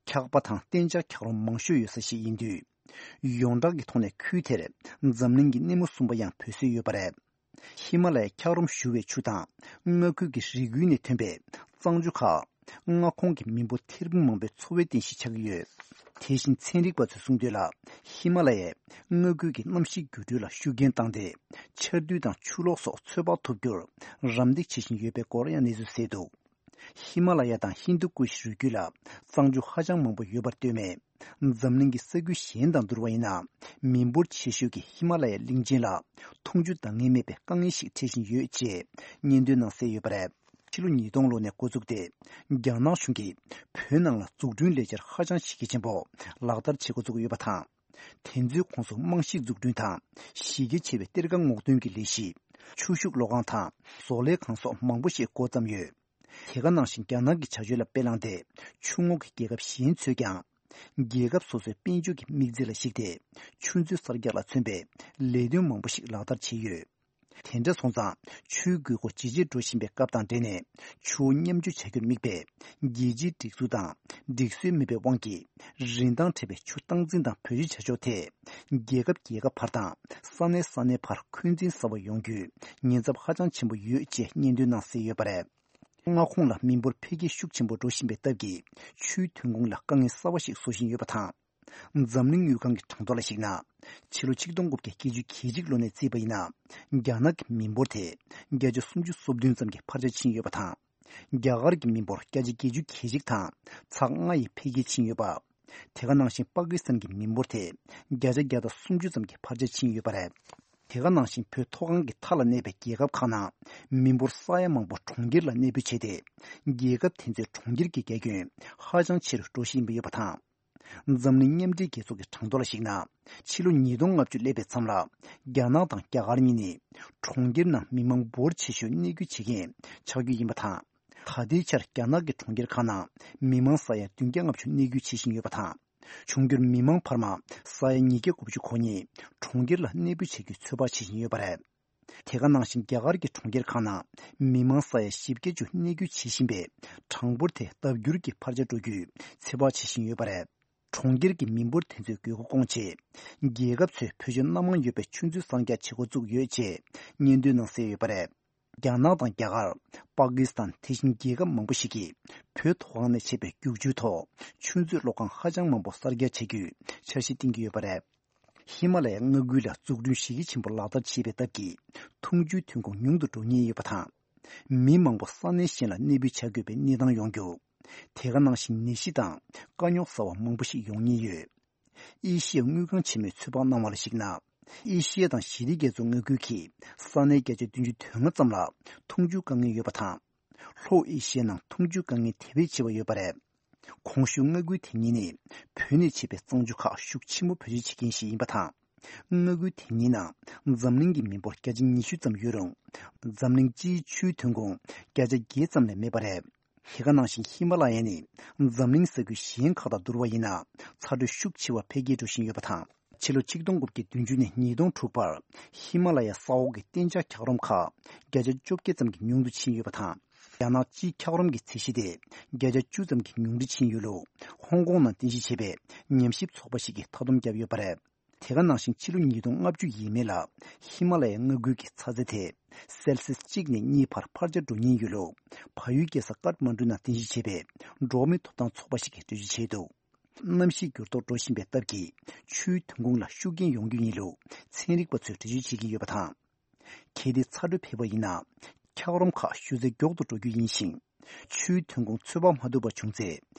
འཁྱགས་པ་དང་གཏན་འཇགས་འཁྱགས་རོམ་མང་ཤོས་ཡོད་ས་ཞིག་ཡིན་དུས། ཡོངས་གྲགས་ཀྱི་ཐོག་ནས་ཁུལ་དེར་འཛམ་གླིང་གི་སྣེ་མོ་གསུམ་པ་ཡང་བོད་སྲིད་ཡོད་པ་རེད། ཧི་མ་ལ་ཡའི་འཁྱགས་རོམ་བཞུར་བའི་ཆུ་དང་མངའ་ཁུལ་གྱི་རི་ཁུལ་ནས་ཐོན་པའི་གཙང་ཆུ་ཁག་མངའ་ཁོངས་ཀྱི་མི་འབོར་ཐེར་འབུམ་མང་པོའི་འཚོ་བའི་རྟེན་གཞི་ཆགས་ཀྱི་ཡོད། དེ་བཞིན་ཚན་རིག་པ་ཚོས་གསུངས་དོན་ལ། ཧི་མ་ལ་ཡས་མངའ་ཁུལ་གྱི་གནམ་གཤིས་འགྱུར་འགྲོས་ལ་ཤུགས་རྐྱེན་བཏང་སྟེ། ཆར་དུས་དང་ཆུ་ལོག་སོགས་ཚོད་དཔག་ཐུབ་རྒྱུར་རམ་འདེགས་བྱེད་བཞིན་ཡོད་པའི་སྐོར་ཡང་གནས་ཚུལ་གསལ་འདུག་ཧི་མ་ལ་ཡ་དང་ཧིན་དུ་ཀུ་ཤི་རུས་རྒྱུད་ལ་གཙང་ཆུ་ཧ་ཅང་མང་པོ་ཡོད་པར་ལྟོས་མེད། འཛམ་གླིང་གི་ས་ཁུལ་གཞན་དང་བསྡུར་བ་ཡིན་ན། མི་འབོར་ཆེ་ཤོས་ཀྱི་ཧི་མ་ལ་ཡའི་གླིང་ཆེན་ལ་འཐུང་ཆུ་འདང་ངེས་མེད་པའི་དཀའ་ངལ་ཞིག་འཕྲད་བཞིན་ཡོད་ཅེས་སྙན་ཐོའི་ནང་གསལ་ཡོད་པ་རེད། ཕྱི་ལོ་ཉིས་སྟོང་ལོ་ནས་འགོ་བཙུགས་ཏེ། རྒྱ་ནག་གཞུང་གིས་བོད་ནང་ལ་འཛུགས་སྐྲུན་ལས་འཆར་ཧ་ཅང་གཞི་རྒྱ་ཆེན་པོ་ལག་བསྟར་བྱེད་འགོ་བཙུགས་ཡོད་པ་དང་། དེ་ཚོའི་ཁོངས་སུ་རྨང་གཞི་འཛུགས་སྐྲུན་དང་གཞི་རྒྱ་ཆེ་བའི་གཏེར་ཁ་སྔོག་འདོན་གྱི་ལས་གཞི། ཆུ་ཤུགས་གློག་ཁང་དང་བཟོ་ལས་ཁང་སོགས་མང་པོ་ཞིག་འགོ་བརྩམས་ཡོད། དེ་ག་ནང་བཞིན་རྒྱ་ནག་གི་བྱ་སྤྱོད་ལ་དཔེ་བླངས་ཏེ་ཆུ་ངོགས་ཀྱི་རྒྱལ་ཁབ་གཞན་ཚོས་ཀྱང་རྒྱལ་ཁབ་སོ་སོའི་དཔལ་འབྱོར་གྱི་དམིགས་ཚད་ལ་གཞིགས་ཏེ་ཆུ་མཛོད་གསར་རྒྱག་ལ་མཚོན་པའི་ལས་དོན་མང་པོ་ཞིག་ལག་བསྟར་བྱས་ཡོད། དེ་འདྲ་སོང་ཙང་ཆུའི་དགོས་མཁོ་ཇེ་ཆེར་འགྲོ་བཞིན་པའི་སྐབས་དང་འབྲེལ་ནས་ཆུ་བོ་མཉམ་སྤྱོད་བྱ་རྒྱུར་དམིགས་པའི་རྒྱལ་སྤྱིའི་སྒྲིག་འཛུགས་དང་སྒྲིག་སྲོལ་མེད་པའི་དབང་གིས་རིན་ཐང་བྲལ་བའི་ཆུ་སྟངས་འཛིན་དང་བེད་སྤྱོད་བྱ་ཕྱོགས་ཐད་རྒྱལ་ཁབ་རྒྱལ་ཁབ་བར་དང་ས་གནས་ས་གནས་བར་འཁོན་འཛིན་ཟབ་པ་ཡོང་རྒྱུའི་ཉེན་ཚབས་ཧ་ཅང་ཆེན་པོ་ཡོད་ཅེས་སྙན་སྒྲོན་གནང་གསལ་ཡོད་པ་རེད། མངའ་ཁོངས་ལ་མི་འབོར་འཕེལ་རྒྱས་ཤུགས་ཆེན་པོ་འགྲོ་བཞིན་པའི་སྟབས་ཀྱིས་ཆུའི་ཐོན་ཁུངས་ལ་དཀའ་ངལ་གསར་པ་ཞིག་བཟོ་བཞིན་ཡོད་པ་དང་། འཛམ་གླིང་དངུལ་ཁང་གི་གྲངས་ཐོ་ལ་གཞིགས་ན། ཕྱི་ལོ་ཆིག་སྟོང་དགུ་བརྒྱ་བརྒྱད་ཅུ་གྱ་གཅིག་ལོ་ནས་བརྩིས་པ་ཡིན་ན། རྒྱ་ནག་གི་མི་འབོར་དེ་བརྒྱ་ཆ་སུམ་ཅུ་སོ་བདུན་ཙམ་གྱིས་འཕར་ཆ་ཕྱིན་ཡོད་པ་དང་། རྒྱ་གར་གྱི་མི་འབོར་བརྒྱ་ཆ་བརྒྱད་ཅུ་གྱ་གཅིག་དང་ཚེག་ལྔ་ཡིས་འཕེལ་རྒྱས་ཕྱིན་ཡོད་པ། དེ་ག་ནང་བཞིན་པ་ཀི་སི་ཐན་གྱི་མི་འབོར་དེ་བརྒྱ་ཆ་བརྒྱ་དང་སུམ་ཅུ་ཙམ་གྱིས་འཕར་ཆ་ཕྱིན་ཡོད་པ་རེད། དེ་ག་ནང་བཞིན་བོད་མཐོ་སྒང་གི་མཐའ་ལ་གནས་པའི་རྒྱལ་ཁབ་ཁག་ནང་མི་འབོར་ས་ཡ་མང་པོ་གྲོང་ཁྱེར་ལ་གནས་སྤོས་བྱས་ཏེ། རྒྱལ་ཁབ་དེ་ཚོའི་གྲོང་ཁྱེར་གྱི་རྒྱ་ཁྱོན་ཧ་ཅང་ཆེ་རུ་འགྲོ་བཞིན་ཡོད་པ་དང་། འཛམ་གླིང་མཉམ་འབྲེལ་རྒྱལ་ཚོགས་ཀྱི་གྲངས་ཐོ་ལ་གཞིགས་ན། ཕྱི་ལོ་ཉིས་སྟོང་ལྔ་བཅུ་སླེབས་པའི་མཚམས་ལ། རྒྱ་ནག་དང་རྒྱ་གར་གཉིས་ནི་གྲོང་ཁྱེར་ནང་མི་མང་འབོར་ཆེ་ཤོས་གནས་སྐྱོད་བྱེད་མཁན་ཆགས་རྒྱུ་ཡིན་པ་དང་། ད་ལྟའི་ཆར་རྒྱ་ནག་གི་གྲོང་ཁྱེར་ཁག་ནང་མི་མང་ས་ཡ་བདུན་བརྒྱ་ལྔ་བཅུ་གནས་སྐྱོད་བྱེད་བཞིན་ཡོད་པ་དང་། འབྱུང་འགྱུར་མི་མང་འཕར་མ་ས་ཡ་ཉིས་བརྒྱ་དགུ་བཅུ་གོ་གཉིས་གྲོང་ཁྱེར་ལ་གནས་སྤོས་བྱ་རྒྱུའི་ཚོད་དཔག་བྱེད་བཞིན་ཡོད་པ་རེད། དེ་ག་ནང་བཞིན་རྒྱ་གར་གྱི་གྲོང་ཁྱེར་ཁག་ནང་མི་མང་ས་ཡ་བཞི་བརྒྱ་བཅུ་གནས་སྐྱོད་བྱེད་བཞིན་པའི་གྲངས་འབོར་དེ་ལྡབ་འགྱུར་གྱིས་འཕར་ཆ་འགྲོ་རྒྱུའི་ཚོད་དཔག་བྱེད་བཞིན་ཡོད་པ་རེད། གྲོང་ཁྱེར་གྱི་མི་འབོར་དེ་ཚོའི་དགོས་མཁོ་སྐོང་ཆེད། རྒྱལ་ཁབ་ཚོས་བེད་སྤྱོད་སྣ་མང་ཡོད་པའི་ཆུ་མཛོད་གསར་རྒྱག་བྱེད་འགོ་བཙུགས་ཡོད་ཅེས་སྙན་སྒྲོན་གནང་གསལ་ཡོད་པ་རེད། རྒྱ་ནག་དང་རྒྱ་གར། པ་ཀི་སི་ཐན། དེ་བཞིན་རྒྱལ་ཁབ་མང་པོ་ཞིག་གིས་བོད་མཐོ་སྒང་ནས་བྱས་པའི་རྒྱུག་ཆུའི་ཐོག་ཆུ་མཛོད་གློག་ཁང་ཧ་ཅང་མང་པོ་གསར་རྒྱག་བྱ་རྒྱུའི་འཆར་གཞི་བཏིང་གི་ཡོད་པ་རེད། ཧི་མ་ལ་ཡའི་མངའ་ཁུལ་ལ་འཛུགས་སྐྲུན་གཞི་རྒྱ་ཆེན་པོ་ལག་བསྟར་བྱས་པའི་སྟབས་ཀྱིས། འཐུང་ཆུའི་ཐོན་ཁུངས་ཉུང་དུ་འགྲོ་ཉེན་ཡོད་པ་དང་། མི་མང་པོ་ས་གནས་གཞན་ལ་གནས་སྤོས་བྱ་དགོས་པའི་གནས་སྟངས་ཡོང་རྒྱུ། དེ་ག་ནང་བཞིན་ནད་གཞི་དང་དཀའ་རྙོག་གསར་བ་མང་པོ་ཞིག་ཡོང་ཉེན་ཡོད། ཨེ་ཤི་ཡའི་དངུལ་ཁང་ཆེན་མོས་ཚོད་དཔག་གནང་བ་ལ་གཞིགས་ན། ཨེ་ཤི་ཡ་དང་ཞི་བདེ་རྒྱ་མཚོ་མངའ་ཁུལ་གྱི་ས་གནས་བརྒྱ་ཆ་བདུན་ཅུ་དོན་ལྔ་ཙམ་ལ་འཐུང་ཆུའི་དཀའ་ངལ་ཡོད་པ་དང་། ལྷོ་ཨེ་ཤི་ཡའི་ནང་འཐུང་ཆུའི་དཀའ་ངལ་དེ་བས་ཆེ་བ་ཡོད་པ་རེད། གོང་ཞུས་མངའ་ཁུལ་དེ་གཉིས་ནི་བོད་ནས་མཆེད་པའི་གཙང་ཆུ་ཁག་ཤུགས་ཆེན་པོ་བེད་སྤྱོད་བྱེད་མཁན་ཞིག་ཡིན་པ་དང་། མངའ་ཁུལ་དེ་གཉིས་ནང་འཛམ་གླིང་གི་མི་འབོར་བརྒྱ་ཆ་ཉི་ཤུ་ཙམ་ཡོད་རུང་། འཛམ་གླིང་སྤྱིའི་ཆུའི་ཐོན་ཁུངས་བརྒྱ་ཆ་བརྒྱད་ཙམ་ལས་མེད་པ་རེད། དེ་ག་ནང་བཞིན་ཧི་མ་ལ་ཡ་ནི་འཛམ་གླིང་ས་ཁུལ་གཞན་ཁག་དང་བསྡུར་བ་ཡིན་ན་ཚ་དྲོད་ཤུགས་ཆེ་བ་འཕེལ་རྒྱས་འགྲོ་བཞིན་ཡོད་པ་དང་། ཕྱི་ལོ་ཆིག་སྟོང་དགུ་བརྒྱ་བདུན་ཅུ་ནས་ཉིས་སྟོང་དྲུག་བར་ཧི་མ་ལ་ཡའི་ས་འོག་གི་གཏན་འཇགས་འཁྱགས་རོམ་ཁག་བརྒྱ་ཆ་བཅོ་བརྒྱད་ཙམ་གྱིས་ཉུང་དུ་ཕྱིན་ཡོད་པ་དང་། རྒྱ་ནག་སྤྱིའི་འཁྱགས་རོམ་གྱི་ཚད་གཞི་དེ་བརྒྱ་ཆ་བཅུ་ཙམ་གྱིས་ཉུང་དུ་ཕྱིན་ཡོད་ལུགས་ཧོང་ཀོང་ནང་རྟེན་གཞི་བྱས་པའི་ཉམས་ཞིབ་ཚོགས་པ་ཞིག་གིས་མཐའ་སྡོམ་བརྒྱབ་ཡོད་པ་རེད། དེ་ག་ནང་བཞིན་ཕྱི་ལོ་ཉིས་སྟོང་ལྔ་བཅུ་ཡས་མས་ལ་ཧི་མ་ལ་ཡའི་མངའ་ཁུལ་གྱི་ཚ་ཚད་དེ་སེལ་སིས་གཅིག་ནས་གཉིས་བར་འཕར་ཆ་འགྲོ་ཉེན་ཡོད་ལུགས་བལ་ཡུལ་རྒྱལ་ས་ཀཏ་མན་གྲུ་ནང་རྟེན་གཞི་བྱས་པའི་འགྲོ་བ་མིའི་ཐོབ་ཐང་ཚོགས་པ་ཞིག་གིས་འགྲེལ་བརྗོད་བྱས་འདུག་གནམ་གཤིས་འགྱུར་ལྡོག་འགྲོ་བཞིན་པའི་སྟབས་ཀྱིས་ཆུའི་ཐོན་ཁུངས་ལ་ཤུགས་རྐྱེན་ཡོང་རྒྱུ་ཡིན་ལུགས་ཚན་རིག་པ་ཚོས་འགྲེལ་བརྗོད་བྱེད་ཀྱི་ཡོད་པ་དང་། གལ་ཏེ་ཚ་དྲོད་འཕེལ་བ་ཡིན་ན། འཁྱགས་རོམ་ཁག་ཞུ་ཚད་མགྱོགས་དུ་འགྲོ་རྒྱུ་ཡིན་ཞིང་། ཆུའི་ཐོན་ཁུངས་ཚོད་དཔག་མ་ཐུབ་པ་བྱུང་ཚེ།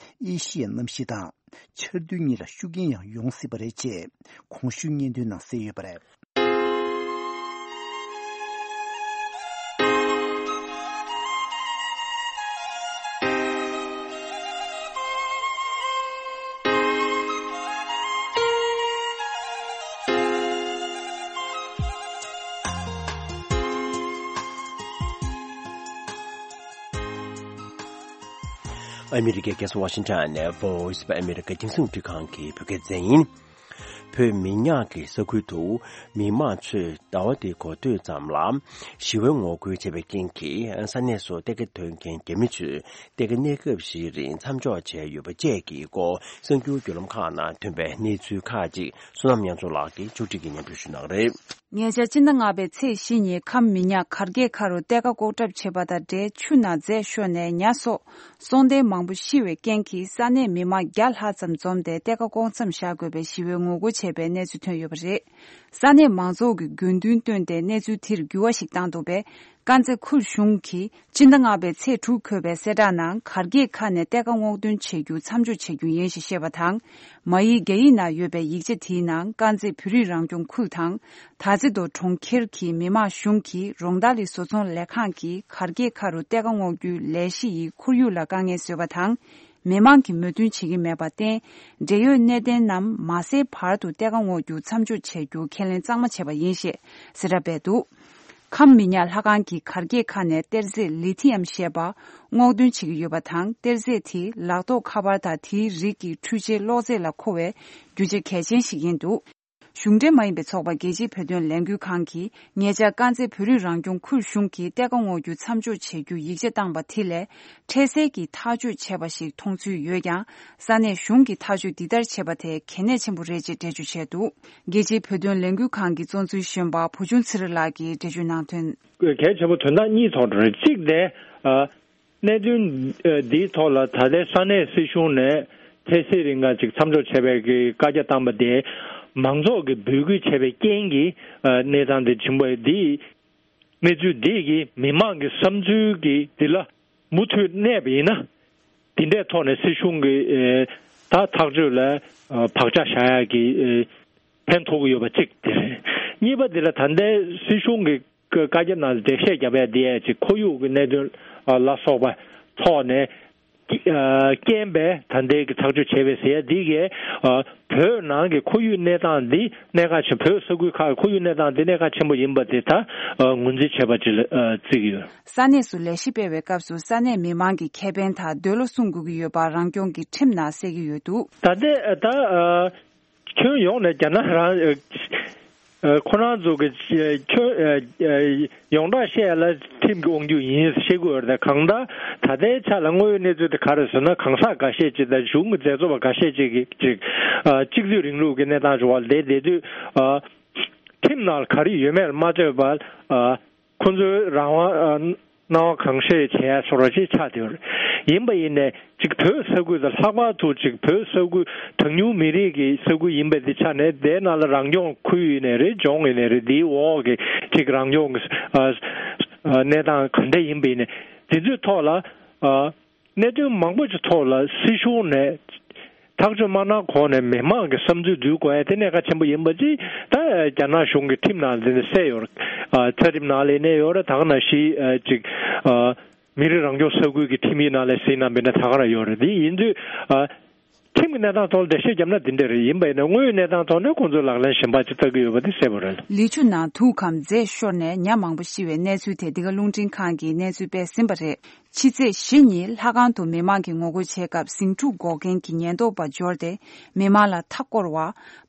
ཨེ་ཤི་ཡའི་གནམ་གཤིས་དང་། ཆར་དུས་གཉིས་ལ་ཤུགས་རྐྱེན་ཡང་ཡོང་སྲིད་པ་རེད་ཅེས་གོང་ཞུས་སྙན་ཐོའི་ནང་གསལ་ཡོད་པ་རེད། ཨ་མི་རི་ཀའི་རྒྱལ་ས་ཝ་ཤིང་ཊོན་ནས་Voice of America རྒྱང་སྲིང་རླུང་འཕྲིན་ཁང་གི་བོད་སྐད་སྡེ་ཚན་ཡིན། བོད་མི་ཉག་གི་ས་ཁུལ་དུ་མི་མང་ཚོས་ཟླ་བ་འདིའི་འགོ་སྟོད་ཙམ་ལ་ཞི་བའི་ངོ་རྒོལ་བྱས་པའི་རྐྱེན་གྱིས་ས་གནས་སུ་གཏེར་ཁ་འདོན་མཁན་རྒྱ་མི་ཚོས་གཏེར་ཁ་གནས་སྐབས་ཤིག་རིང་མཚམས་འཇོག་བྱས་ཡོད་པ་བཅས་ཀྱི་སྐོར་གསར་འགྱུར་བརྒྱུད་ལམ་ཁག་ནང་ཐོན་པའི་གནས་ཚུལ་ཁག་ཅིག་བསོད་ནམས་དབྱངས་མཚོ་ལགས་ཀྱིས་ཕྱོགས་སྒྲིག་གིས་སྙན་སྒྲོན་ཞུ་གནང་གི་རེད། ཉེ་ཆར་སྤྱི་ཟླ་ལྔ་པའི་ཚེས་བཞི་ཉིན་ཁམས་མི་ཉག་གར་གྱི་ཁ་རུ་གཏེར་ཁ་ལྐོག་གྲབས་བྱས་པ་དང་འབྲེལ་ཆུ་ནང་རྫས་ཤོར་ནས་ཉ་སོགས་སྲོག་ལྡན་མང་པོ་ཤི་བའི་རྐྱེན་གྱིས་ས་གནས་མི་མང་བརྒྱ་ལྷག་ཙམ་འཛོམས་ཏེ་གཏེར་ཁ་བསྐོར་མཚམས་བཞག་དགོས་པའི་ཞི་བའི་ངོ་རྒོལ་བྱས་པའི་གནས་ཚུལ་ཐོན་ཡོད་པ་རེད། ས་གནས་མང་ཚོགས་ཀྱིས་དགོས་འདུན་བཏོན་ཏེ་གནས་ཚུལ་དེར་འགྱུར་བ་ཞིག་བཏང་འདུག་པས། དཀར་མཛེས་ཁུལ་གཞུང་གིས་སྤྱི་ཟླ་ལྔ་པའི་ཚེས་དྲུག་འཁོད་པའི་གསལ་བསྒྲགས་ནང་གར་གྱི་ཁ་ནས་གཏེར་ཁ་སྔོག་འདོན་བྱེད་རྒྱུ་མཚམས་འཇོག་བྱེད་རྒྱུ་ཡིན་ཞེས་བཤད་པ་དང་། མ་ཡིག་རྒྱ་ཡིག་ནང་ཡོད་པའི་ཡིག་ཆ་དེའི་ནང་དཀར་མཛེས་བོད་རིགས་རང་སྐྱོང་ཁུལ་དང་། དར་རྩེ་མདོ་གྲོང་ཁྱེར་གྱི་མི་དམངས་གཞུང་གི་རོང་ཐང་ལི་བཟོ་ཚོང་ལས་ཁང་གིས་གར་གྱི་ཁ་རུ་གཏེར་ཁ་སྔོག་རྒྱུའི་ལས་གཞི་ཡི་ཁོར་ཡུག་ལ་དཀའ་ངལ་བཟོས་པ་དང་། མི་མང་གིས་མོས་མཐུན་བྱེད་ཀྱི་མེད་པར་བརྟེན། འབྲེལ་ཡོད་གནད་དོན་རྣམས་མ་སེལ་བར་དུ་གཏེར་ཁ་སྔོག་རྒྱུ་མཚམས་འཇོག་བྱ་རྒྱུ་ཁས་ལེན་གཙང་མ་བྱས་པ་ཡིན་ཞེས་གསལ་བསྒྲགས་སྤེལ་འདུག་ཁམས་མི་ཉག་ལྷ་ཁང་གི་གར་སྐྱེས་ཁག་ནས་གཏེར་རྫས་ལི་ཐི་ཡམ་ཞེས་པ་སྔོག་འདོན་བྱེད་ཀྱི་ཡོད་པ་དང་། གཏེར་རྫས་དེ་ལག་ཐོགས་ཁ་པར་དང་དེའི་རིགས་ཀྱི་འཕྲུལ་ཆས་གློག་རྫས་ལ་མཁོ་བའི་རྒྱུ་ཆ་གལ་ཆེན་ཞིག་ཡིན་འདུག་གཞུང་འབྲེལ་མ་ཡིན་པའི་ཚོགས་པ་རྒྱལ་སྤྱིའི་བོད་དོན་ལས་འགུལ་ཁང་གིས་ཉེ་ཆར་དཀར་མཛེས་བོད་རིགས་རང་སྐྱོང་ཁུལ་གཞུང་གིས་གཏེར་ཁ་སྔོག་རྒྱུ་མཚམས་འཇོག་བྱེད་རྒྱུ་ཡིག་ཆ་བཏང་པ་དེ་ལས། འཕྲལ་སེལ་གྱིས་ཐག་གཅོད་བྱས་པ་ཞིག་མཐོང་ཚུལ་ཡོད་ཀྱང་། ས་གནས་གཞུང་གིས་ཐག་གཅོད་འདི་ལྟར་བྱས་པ་དེ་གལ་གནད་ཆེན་པོ་རེད་ཅེས་འགྲེལ་བརྗོད་བྱས་འདུག་རྒྱལ་སྤྱིའི་བོད་དོན་ལས་འགུལ་ཁང་གི་གཙོ་འཛིན་གཞོན་པ་བུ་ཆུང་ཚེ་རིང་ལགས་ཀྱིས་འགྲེལ་བརྗོད་གནང་དོན། གལ་ཆེན་པོ་དོན་དག་གཉིས་ཐོག་ཏུ་རེད། གཅིག་དེ། ཨ། གནད་དོན་འདིའི་ཐོག་ལ་ད་ལྟའི་ས་གནས་སྲིད་གཞུང་ནས་འཕྲལ་སེལ་རིང་ག་ཅིག་མཚམས་འཇོག་བྱས་པའི་གི་བཀའ་རྒྱ་བཏང་པ་དེ་མང་ཚོགས་ཀྱིས་འབོད་སྐུལ་བྱས་པའི་རྐྱེན་གྱིས་གནས་སྟངས་འདི་བྱུང་བ་འདི། གནས་ཚུལ་འདི་གིས་མི་མང་གི་བསམ་ཚུལ་གྱི་འདི་ལ་མུ་མཐུད་གནས་པ་ཡིན་ན། འདི་འདྲའི་ཐོག་ནས་སྲིད་གཞུང་གི་ད་ཐག་གཅོད་ལ་བག་ཆགས་བཞག་ཡག་གི་ཕན་ཐོགས་ཀྱི་ཡོད་པ་གཅིག་དེ་རེད། གཉིས་པ་འདི་ལ་ད་ལྟའི་སྲིད་གཞུང་གི་བཀའ་རྒྱ་ནང་འགྲེལ་བཤད་བརྒྱབ་ཡ་འདི་ཡ་ཅིག་ཁོར་ཡུག་གི་གནད་དོན་ལ་སོགས་པ་ཐོག་ནས་རྐྱེན་པས་ད་ལྟའི་གི་ཐག་གཅོད་བྱས་པའི་ཟེར་ཡ་འདི་གས་བོད་ནང་གི་ཁོར་ཡུག་གནས་སྟངས་འདི་གནད་འགག་ཆེན། བོད་ས་ཁུལ་ཁག་གི་ཁོར་ཡུག་གནས་སྟངས་འདི་གནད་འགག་ཆེན་པོ་ཡིན་པ་དེ་ད་ངོས་འཛིན་བྱས་པ་ཅིག་ལ་བརྩི་གི་ཡོད། ས་གནས་སུ་ལས་གཞི་སྤེལ་བའི་སྐབས་སུ་ས་གནས་མི་མང་གི་ཁེ་ཕན་དང་འདོད་བློ་སྲུང་དགོས་ཀྱི་ཡོད་པ་རང་སྐྱོང་གི་ཁྲིམས་ནང་གསལ་གྱི་ཡོད་འདུག་ད་ལྟའི་ད་ཁྱོན་ཡོངས་ནས་རྒྱ་ནག་རང་ཁོ་རང་ཚོ་གི་ཁྱོན་ཡོངས་གྲགས་བཤད་ལ་ཁྲིམས་ཀྱི་དབང་སྒྱུར་ཡིན་བཤད་དགོས་རེད། གང་ལྟར་ད་ལྟའི་ཆ་ལ་དངོས་ཡོད་གནས་ཚུལ་དེ་ག་རེ་ཟེར་ན། གང་ཟག་འགའ་ཤས་ཅིག་དང་གཞུང་གི་མཛད་གཙོ་བ་འགའ་ཤས་ཅིག་གིས་ཅིག་གཅིག་སྡུད་རིང་ལུགས་ཀྱི་གནས་སྟངས་འབྱུང་བ་ལས་བསྡད་དུས། ཁྲིམས་ནང་ལ་ག་རེ་ཡོད་མེད་ལ་མ་ལྟོས་པར། ཁོ་ཚོའི་རང་དབང་། ཨ། སྣང་བ་གང་ཤེས་བྱེད་ཡ་སོགས་ར་ཅིག་ཆགས་བསྡད་ཡོད་རེད། ཡིན་པ་ཡིན་ནས་ཅིག་བོད་ས་ཁུལ་དང་ལྷག་པར་དུ་ཅིག་བོད་ས་ཁུལ་གྲངས་ཉུང་མི་རིགས་ཀྱི་ས་ཁུལ་ཡིན་པའི་དེ་ཆ་ནས་དེའི་ནང་ལ་རང་སྐྱོང་ཁུལ་ཡིན་ནའི་རེད། ལྗོངས་ཡིན་ནའི་རེད། དེའི་འོག་གི་ཅིག་རང་སྐྱོང་གི། ཨ། ཨ། གནས་སྟངས་ག་འདྲ་ཡིན་པ་ཡིན་ནའི་དེ་ཚོའི་ཐོག་ལ། ཨ། གནད་དོན་མང་པོ་ཅིག་ཐོག་ལ་སྲིད་གཞུང་ནས་ཐག་གཅོད་མ་གནང་གོང་ནས་མི་མང་གི་བསམ་ཚུལ་བསྡུ་དགོས་ཡ་དེ་གནད་འགག་ཆེན་པོ་ཡིན་པ་ཅིག་ད་རྒྱ་ནག་གཞུང་གི་ཁྲིམས་ནང་འཛིན་གསལ་ཡོད་རེད། ཨ། ཚད་རིམ་ནང་ལ་གནས་ཡོད་རེད། ད་ག་ནང་བཞིན་ཨ་ཅིག་ཨ་མི་རིགས་རང་སྐྱོང་ས་ཁུལ་གྱི་ཁྲིམས་ཡིག་ནང་ལ་གཟིགས་གནང་བ་ཡིན་ན་ད་ག་རང་ཡོད་རེད། དེ་ཡིན་དུས་ཨ་ཁྲིམས་ཀྱི་གནས་སྟངས་ཐོག་ལ་འགྲེལ་བཤད་བརྒྱབ་ན་འདི་འདྲ་རེད། ཡིན་པ་ཡིན་ན་དངོས་ཡོད་གནས་སྟངས་ཐོག་ནས་ཁོང་ཚོས་ལག་ལེན་གཞན་པ་ཅིག་བསྟར་གྱི་ཡོད་པ་དེ་གསལ་པོ་རེད། ལི་ཆུ་ནང་དུག་གམ་རྫས་ཤོར་ནས་ཉ་མང་པོ་ཤི་བའི་གནས་ཚུལ་དེ་འདི་ག་རླུང་འཕྲིན་ཁང་གིས་གནས་ཚུལ་སྤེལ་ཟིན་པ་རེད། ཕྱི་ཚེས་བཞི་ཉིན་ལྷ་ཁང་དུ་མི་མང་གིས་ངོ་རྒོལ་བྱེད་སྐབས་ཟིང་འཁྲུག་འགོག་མཁན་གྱི་ཉེན་རྟོག་པ་འབྱོར་ཏེ་མི་མང་ལ་མཐའ་བསྐོར་བ་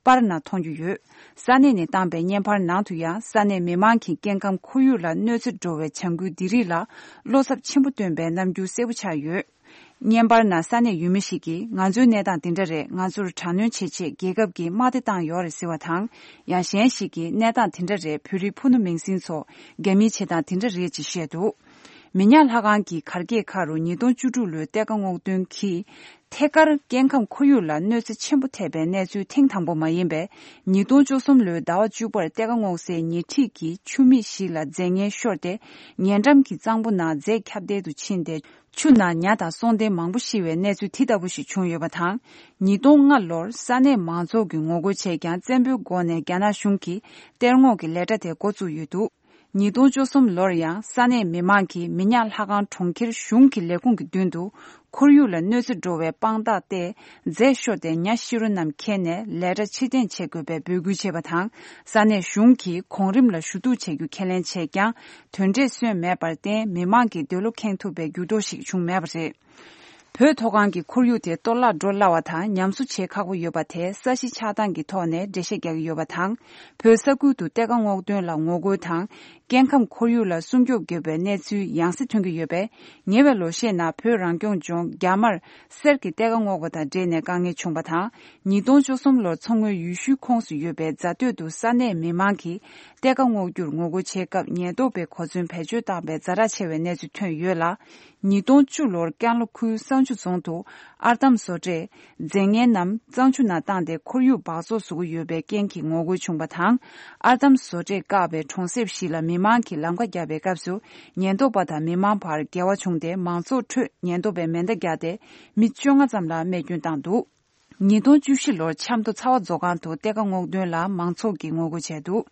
པར་ནང་མཐོང་རྒྱུ་ཡོད། ས་གནས་ནས་བཏང་པའི་བརྙན་པར་ནང་དུ་ཡང་ས་གནས་མི་མང་གིས་སྐྱེ་ཁམས་ཁོར་ཡུག་ལ་གནོད་འཚེ་འགྲོ་བའི་བྱ་འགུལ་འདི་རིགས་ལ་བློ་འཚབ་ཆེན་པོ་བཏོན་པའི་རྣམ་འགྱུར་གསལ་པོ་ཆགས་ཡོད། བརྙན་པར་ནང་ས་གནས་ཡུལ་མི་ཞིག་གིས་ང་ཚོའི་གནས་སྟངས་འདི་འདྲ་རེད། ང་ཚོར་དྲག་གནོན་བྱེད་ཆེད་རྒྱལ་ཁབ་ཀྱིས་དམག་སྡེ་བཏང་ཡོད་རེད་ཟེར་བ་དང་། ཡང་གཞན་ཞིག་གིས་གནས་སྟངས་དེ་འདྲ་རེད། བོད་རིགས་ཕུ་ནུ་མིང་སྲིང་ཚོ་རྒྱ་མིའི་བྱེད་སྟངས་དེ་འདྲ་རེད་ཅེས་བཤད་འདུག་མི་ཉག་ལྷ་ཁང་གི་གར་སྐྱེས་ཁག་རུ་ཉིས་སྟོང་བཅུ་དྲུག་ལོའི་གཏེར་ཁ་སྔོག་འདོན་གྱིས་ཐད་ཀར་སྐྱེ་ཁམས་ཁོར་ཡུག་ལ་གནོད་འཚེ་ཆེན་པོ་ཐེབས་པའི་གནས་ཚུལ་ཐེངས་དང་པོ་མ་ཡིན་པས། ཉིས་སྟོང་བཅུ་གསུམ་ལོའི་ཟླ་བ་བཅུ་པར་གཏེར་ཁ་སྔོག་སའི་ཉེ་འཁྲིས་ཀྱི་ཆུ་མིག་ཞིག་ལ་རྫས་ངན་ཤོར་ཏེ། ཉེ་འགྲམ་གྱི་གཙང་པོ་ནང་རྫས་ཁྱབ་གདལ་དུ་ཕྱིན་ཏེ། ཆུ་ནང་ཉ་དང་སྲོག་ལྡན་མང་པོ་ཤི་བའི་གནས་ཚུལ་དེ་ལྟ་བུ་ཞིག་བྱུང་ཡོད་པ་དང་། ཉིས་སྟོང་ལྔ་ལོར་ས་གནས་མང་ཚོགས་ཀྱིས་ངོ་རྒོལ་བྱས་ཀྱང་། བཙན་པོའི་སྒོ་ནས་རྒྱ་ནག་གཞུང་གིས་གཏེར་སྔོག་གི་ལས་གྲྭ་དེ་འགོ་བཙུགས་ཡོད་འདུག་ཉིས་སྟོང་བཅུ་གསུམ་ལོར་ཡང་ས་གནས་མི་མང་གིས་མི་ཉག་ལྷ་ཁང་གྲོང་ཁྱེར་གཞུང་གི་ལས་ཁུངས་ཀྱི་མདུན་དུ་ཁོར་ཡུག་ལ་གནོད་འཚེ་འགྲོ་བའི་དཔང་རྟགས་ཏེ། རྫས་ཤོར་ཏེ་ཉ་ཤི་རོ་རྣམས་ཁྱེར་ནས་ལས་གྲྭ་ཕྱིར་འཐེན་བྱེད་དགོས་པའི་འབོད་སྐུལ་བྱས་པ་དང་། ས་གནས་གཞུང་གིས་གོང་རིམ་ལ་ཞུ་གཏུག་བྱེད་རྒྱུ་ཁས་ལེན་བྱས་ཀྱང་། དོན་འབྲས་སོན་མེད་པར་བརྟེན། མི་མང་གི་འདོད་བློ་ཁེངས་ཐུབ་པའི་འགྱུར་ལྡོག་ཞིག་བྱུང་མེད་པ་རེད། བོད་མཐོ་སྒང་གི་ཁོར་ཡུག་དེ་གཏོར་བརླག་འགྲོ་སླ་བ་དང་། ཉམས་གསོ་བྱེད་ཁག་པོ་ཡོད་པ་དེ་ས་གཞི་ཆགས་སྟངས་ཀྱི་ཐོག་ནས་འགྲེལ་བཤད་རྒྱག་གི་ཡོད་པ་དང་། བོད་ས་ཁུལ་དུ་གཏེར་ཁ་སྔོག་འདོན་ལ་ངོ་རྒོལ་དང་། སྐྱེ་ཁམས་ཁོར་ཡུག་ལ་སྲུང་སྐྱོབ་དགོས་པའི་གནས་ཚུལ་ཡང་སེ་ཐོན་གྱི་ཡོད་པས། ཉེ་བའི་ལོ་ཤས་ནང་བོད་རང་སྐྱོང་ལྗོངས་རྒྱ་དམར་གསེར་གྱི་གཏེར་ཁ་སྔོག་པ་དང་འབྲེལ་ནས་དཀའ་ངལ་བྱུང་བ་དང་། ཉིས་སྟོང་བཅུ་གསུམ་ལོར་མཚོ་སྔོན་ཡུལ་ཤུལ་ཁོངས་སུ་ཡོད་པའི་རྫ་སྟོད་དུ་ས་གནས་མི་མང་གིས་གཏེར་ཁ་སྔོག་རྒྱུར་ངོ་རྒོལ་བྱེད་སྐབས། ཉེན་རྟོག་པས་གོ་མཚོན་བེད་སྤྱོད་བཏང་བའི་ཛ་དྲག་ཆེ་བའི་གནས་ཚུལ་ཐོན་ཡོད་ལ། ཉིས་སྟོང་བཅུ་ལོར་ཀན་ལྷོ་ཁུལ་བསང་ཆུ་རྫོང་དུ་ཨར་འདམ་བཟོ་གྲྭས་རྫས་ངན་རྣམས་གཙང་ཆུ་ནང་བཏང་སྟེ་ཁོར་ཡུག་འབག་བཙོག་བཟོ་གི་ཡོད་པའི་རྐྱེན་གྱིས་ངོ་རྒོལ་བྱུང་བ་དང་། ཨར་འདམ་བཟོ་གྲྭས་བཀག་པའི་གྲོང་གསེབ་ཞིག་ལ་མི་མང་གིས་ལམ་ཁ་བརྒྱབ་པའི་སྐབས་སུ། ཉེན་རྟོག་པ་དང་མི་མང་བར་འགལ་བ་བྱུང་སྟེ། མང་ཚོགས་ཁྲོད་ཉེན་རྟོག་པས་མེ་མདའ་བརྒྱབ་སྟེ། མི་བཅོ་ལྔ་ཙམ་ལ་རྨས་སྐྱོན་བཏང་འདུག་ཉིས་སྟོང་བཅུ་བཞི་ལོར་ཆབ་མདོ་ཚ་བ་མཛོད་ཁང་དུ་གཏེར་ཁ་སྔོག་འདོན་ལ་མང་ཚོགས་ཀྱིས་ངོ་རྒོལ་བྱས་འདུག་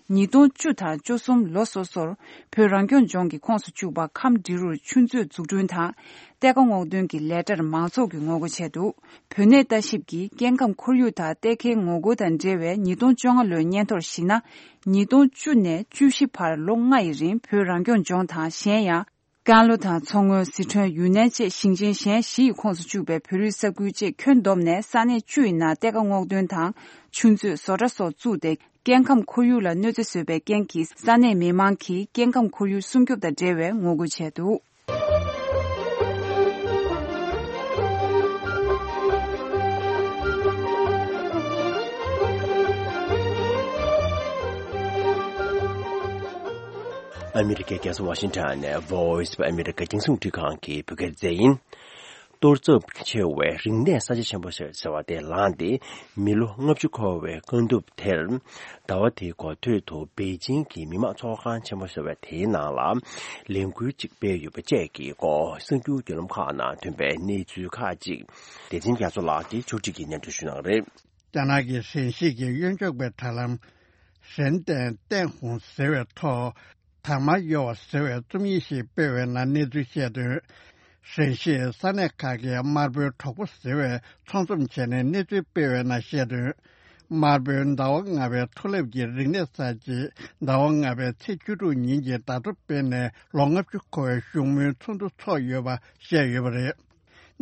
ཉིས་སྟོང་བཅུ་དང་བཅུ་གསུམ་ལོ་སོ་སོར་བོད་རང་སྐྱོང་ལྗོངས་ཀྱི་ཁོངས་སུ་བཅུག་པ་ཁམས་འབྲི་རུར་ཆུ་མཛོད་འཛུགས་སྐྲུན་དང་གཏེར་ཁ་སྔོག་འདོན་གྱི་ལས་གྲྭར་མང་ཚོགས་ཀྱིས་ངོ་རྒོལ་བྱས་འདུག་བོད་གནས་ལྟ་ཞིབ་ཀྱིས་སྐྱེ་ཁམས་ཁོར་ཡུག་དང་གཏེར་ཁའི་ངོ་རྒོལ་དང་འབྲེལ་བའི་ཉིས་སྟོང་བཅོ་ལྔ་ལོའི་སྙན་ཐོར་གཞི་ན། ཉིས་སྟོང་བཅུ་ནས་བཅུ་བཞི་བར་ལོ་ལྔ་ཡི་རིང་བོད་རང་སྐྱོང་ལྗོངས་དང་གཞན་ཡང་། ཀན་ལྷོ་དང་མཚོ་སྔོན། སི་ཁྲོན། ཡུན་ནན་བཅས་ཞིང་ཆེན་གཞན་བཞི་ཡི་ཁོངས་སུ་བཅུག་པའི་བོད་རིགས་ས་ཁུལ་བཅས་ཁྱོན་བསྡོམས་ནས་ས་གནས་བཅུ་ཡི་ནང་གཏེར་ཁ་སྔོག་འདོན་དང་ཆུ་མཛོད་བཟོ་གྲྭ་སོགས་བཙུགས་ཏེ་སྐྱེ་ཁམས་ཁོར་ཡུག་ལ་གནོད་འཚེ་བཟོས་པའི་རྐྱེན་གྱིས་ས་གནས་མི་མང་གིས་སྐྱེ་ཁམས་ཁོར་ཡུག་སྲུང་སྐྱོབ་དང་འབྲེལ་བའི་ངོ་རྒོལ་བྱས་འདུག་ཨ་མི་རི་ཀའི་རྒྱལ་ས་ཝ་ཤིང་ཊོན་ནས་Voice of America རྒྱང་སྲིང་རླུང་འཕྲིན་ཁང་གི་བོད་སྐད་སྡེ་ཚན་ཡིན། གཏོར་ཚབས་ཆེ་བའི་རིག་གནས་གསར་བརྗེ་ཆེན་པོ་ཟེར་བ་དེ་ལངས་ཏེ། མི་ལོ་ལྔ་བཅུ་འཁོར་བའི་བཀའ་བསྡུར་དེར། ཟླ་བ་དེའི་འགོ་སྟོད་དུ་པེ་ཅིང་གི་མི་དམངས་ཚོགས་ཁང་ཆེན་པོ་ཟེར་བ་དེའི་ནང་ལ་ལས་འགུལ་གཅིག་སྤེལ་ཡོད་པ་བཅས་ཀྱི་སྐོར་གསར་འགྱུར་བརྒྱུད་ལམ་ཁག་ནང་ཐོན་པའི་གནས་ཚུལ་ཁག་ཅིག་སྡེ་ཚན་རྒྱ་མཚོ་ལགས་ཀྱིས་ཕྱོགས་སྒྲིག་གིས་སྙན་སྒྲོན་ཞུ་གནང་གི་རེད། རྒྱ་ནག་གི་ཧྲེན་ཞི་གི་གཡོན་ཕྱོགས་པའི་དྲ་ལམ། ཧྲེན་ཏན་ཏན་ཧུང་ཟེར་བའི་ཐོག་དར་དམར་གཡོ་བ་ཟེར་བའི་རྩོམ་ཡིག་ཞིག་སྤེལ་བའི་ནང་གནས་ཚུལ་བཤད་དོན། ཧྲེན་ཞིའི་ས་གནས་ཁག་གི་དམར་པོའི་གྲོགས་པོ་ཟེར་བའི་ཚོགས་འཛོམས་བྱས་ནས་གནས་ཚུལ་སྤེལ་བའི་ནང་བཤད་དོན། དམར་པོའི་ཟླ་བ་ལྔ་པའི་མཐོ་སླེབས་ཀྱི་རིག་གནས་གསར་བརྗེ་ཟླ་བ་ལྔ་པའི་ཚེས་བཅུ་དྲུག་ཉིན་གྱི་ཟླ་གྲོགས་སྤེལ་ནས་ལོ་ལྔ་བཅུ་འཁོར་བའི་བཞུགས་མོལ་ཚོགས་འདུ་ཚོགས་ཡོད་པ་བཤད་ཡོད་པ་རེད།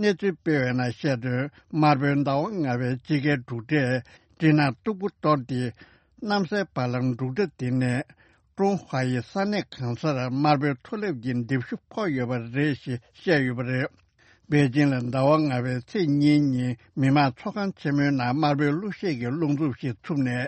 གནས་ཚུལ་སྤེལ་བའི་ནང་བཤད་དོན། དམར་པོའི་ཟླ་བ་ལྔ་པའི་དཔྱིད་ཀའི་འབྲུག་སྒྲས་སྤྲིན་ནག་སྟུག་པོ་གཏོར་ཏེ། གནམ་སའི་བར་ལམ་འབྲུག་སྒྲ་འདི་ནས་ཀྲུང་ཧྭ་ཡི་ས་གནས་གང་སར་དམར་པོའི་མཐོ་སླེབས་ཀྱི་འདེབས་ཤུགས་ཕོག་ཡོད་པ་རེད་ཞེས་བཤད་ཡོད་པ་རེད། པེ་ཅིང་ལ་ཟླ་བ་ལྔ་པའི་ཚེས་གཉིས་ཉིན་མི་དམངས་ཚོགས་ཁང་ཆེན་མོའི་ནང་དམར་པོའི་གླུ་གཞས་ཀྱི་རླུང་འཚུབ་ཞིག་འཚུབས་ནས།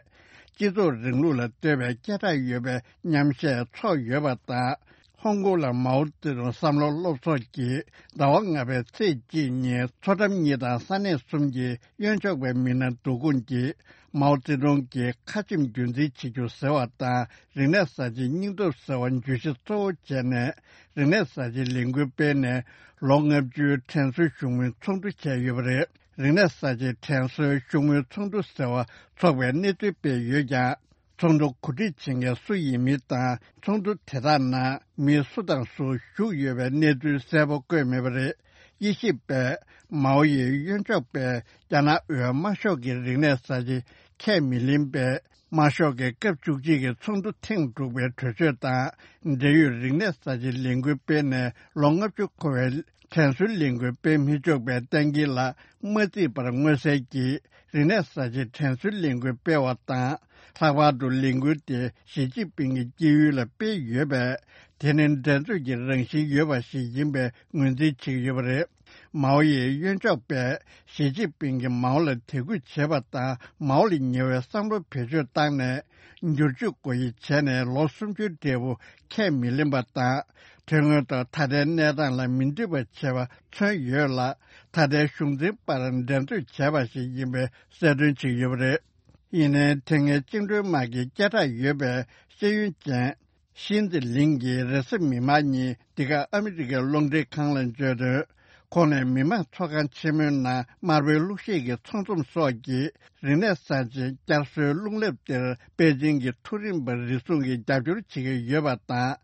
སྤྱི་ཚོགས་རིང་ལུགས་ལ་བསྟོད་པའི་སྐད་གྲགས་ཡོད་པའི་མཉམ་གཞས་ཚོགས་ཡོད་པ་དང་། ཧོང་ཀོང་ལ་མའོ་ཙེ་ཏུང་བསམ་བློ་སློབ་ཚོགས་ཀྱིས་ཟླ་བ་ལྔ་པའི་ཚེས་གཅིག་ཉིན་མཚོ་འགྲམ་གཉིས་དང་ས་གནས་གསུམ་གྱི་གཡོན་ཕྱོགས་པའི་མི་སྣ་འདུ་ཁོངས་ཀྱིས་མའོ་ཙེ་ཏུང་གི་ཁ་ཆེམས་རྒྱུན་འཛིན་བྱེད་རྒྱུ་ཟེར་བ་དང་རིག་གནས་གསར་བརྗེའི་སྙིང་སྟོབས་ཟེར་བ་བརྗོད་གཞི་གཙོ་བོ་བྱས་ནས་རིག་གནས་གསར་བརྗེའི་ལས་འགུལ་སྤེལ་ནས་ལོ་ལྔ་བཅུའི་དྲན་གསོའི་བཞུགས་མོལ་ཚོགས་འདུ་བྱས་ཡོད་པ་རེད། རིག་གནས་གསར་བརྗེའི་དྲན་གསོའི་བཞུགས་མོལ་ཚོགས་འདུ་ཟེར་བ་འཚོགས་པའི་གནས་ཚུལ་སྤེལ་ཡོད་ཀྱང་། ཚོགས་འདུ་གོ་སྒྲིག་བྱེད་མཁན་སུ་ཡིན་མིན་དང་ཚོགས་འདུ་དེ་དག་ནང་མི་སུ་དང་སུ་ཞུགས་ཡོད་པའི་གནས་ཚུལ་གསལ་པོ་བཀོད་མེད་པ་རེད། དབྱེ་ཞིབ་པས་མའོ་ཡི་གཡོན་ཕྱོགས་པས་རྒྱ་ནག་འོས་དམར་ཤོག་གི་རིག་གནས་གསར་བརྗེ་ཁས་མི་ལེན་པས། དམར་ཤོག་གི་སྐབས་བཅུ་གཅིག་གི་ཚོགས་འདུ་ཐེངས་དྲུག་པའི་གྲོས་ཆོད་དང་འབྲེལ་ཡོད་རིག་གནས་གསར་བརྗེའི་ལས་འགུལ་སྤེལ་ནས་ལོ་ལྔ་བཅུ་འཁོར་བའི་དྲན་གསོའི་ལས་འགུལ་སྤེལ་མི་ཆོག་པའི་གཏན་འཁེལ་ལ་མ་བརྩིས་པར་མངོན་གསལ་གྱིས་རིག་གནས་གསར་བརྗེའི་དྲན་གསོའི་ལས་འགུལ་སྤེལ་བ་དང་། ལྷག་པར་དུ་ལས་འགུལ་དེ་ཞི་ཅིན་ཕིང་གི་སྐྱེས་ཡུལ་ལ་སྤེལ་ཡོད་པས། དེ་ནི་འགྲན་རྩོད་ཀྱི་རང་བཞིན་ཡོད་པ་ཞིག་ཡིན་པའི་ངོས་འཛིན་བྱེད་ཀྱི་ཡོད་པ་རེད། མའོ་ཡི་གཡོན་ཕྱོགས་པས་ཞི་ཅིན་ཕིང་གིས་མའོ་ལ་དད་གུས་བྱེད་པ་དང་མའོ་ལ་ཉེ་བའི་བསམ་བློ་བེད་སྤྱོད་བཏང་ནས་བསྒྱུར་བཅོས་སྒོ་དབྱེ་བྱས་ནས་ལོ་སུམ་ཅུའི་འབྲས་བུ་ཁས་མི་ལེན་པ་དང་། དོན་དངོས་ཐོག་ད་ལྟའི་གནས་སྟངས་ལ་མི་འདོད་པ་བྱས་པ་མཚོན་ཡོད་ལ། ད་ལྟའི་གཞུང་འཛིན་པར་འགྲན་རྩོད་བྱས་པ་ཞིག་ཡིན་པའི་གསལ་སྟོན་བྱེད་ཀྱི་ཡོད་པ་རེད། ཡིན་ནའི་དེ་སྔའི་བཅིངས་འགྲོལ་དམག་གི་སྐད་གྲགས་ཡོད་པའི་ཤེས་ཡོན་ཅན། ཤིན་ཙི་ལིང་གིས་རེས་གཟའ་མིག་དམར་ཉིན་འདི་ག་ཨ་མི་རི་ཀའི་རླུང་འཕྲིན་ཁང་ལ་བརྗོད་དོན། ཁོང་ནས་མི་དམངས་ཚོགས་ཁང་ཆེན་མོའི་ནང་དམར་པོའི་གླུ་གཞས་ཀྱི་ཚོགས་འཛོམས་སོགས་ཀྱིས་རིག་གནས་གསར་བརྗེ་བསྐྱར་གསོའི་རླུང་རླབས་དེར་པེ་ཅིང་གི་མཐོ་རིམ་པ་རེ་ཟུང་གིས་རྒྱབ་སྐྱོར་བྱེད་ཀྱི་ཡོད་པ་དང་།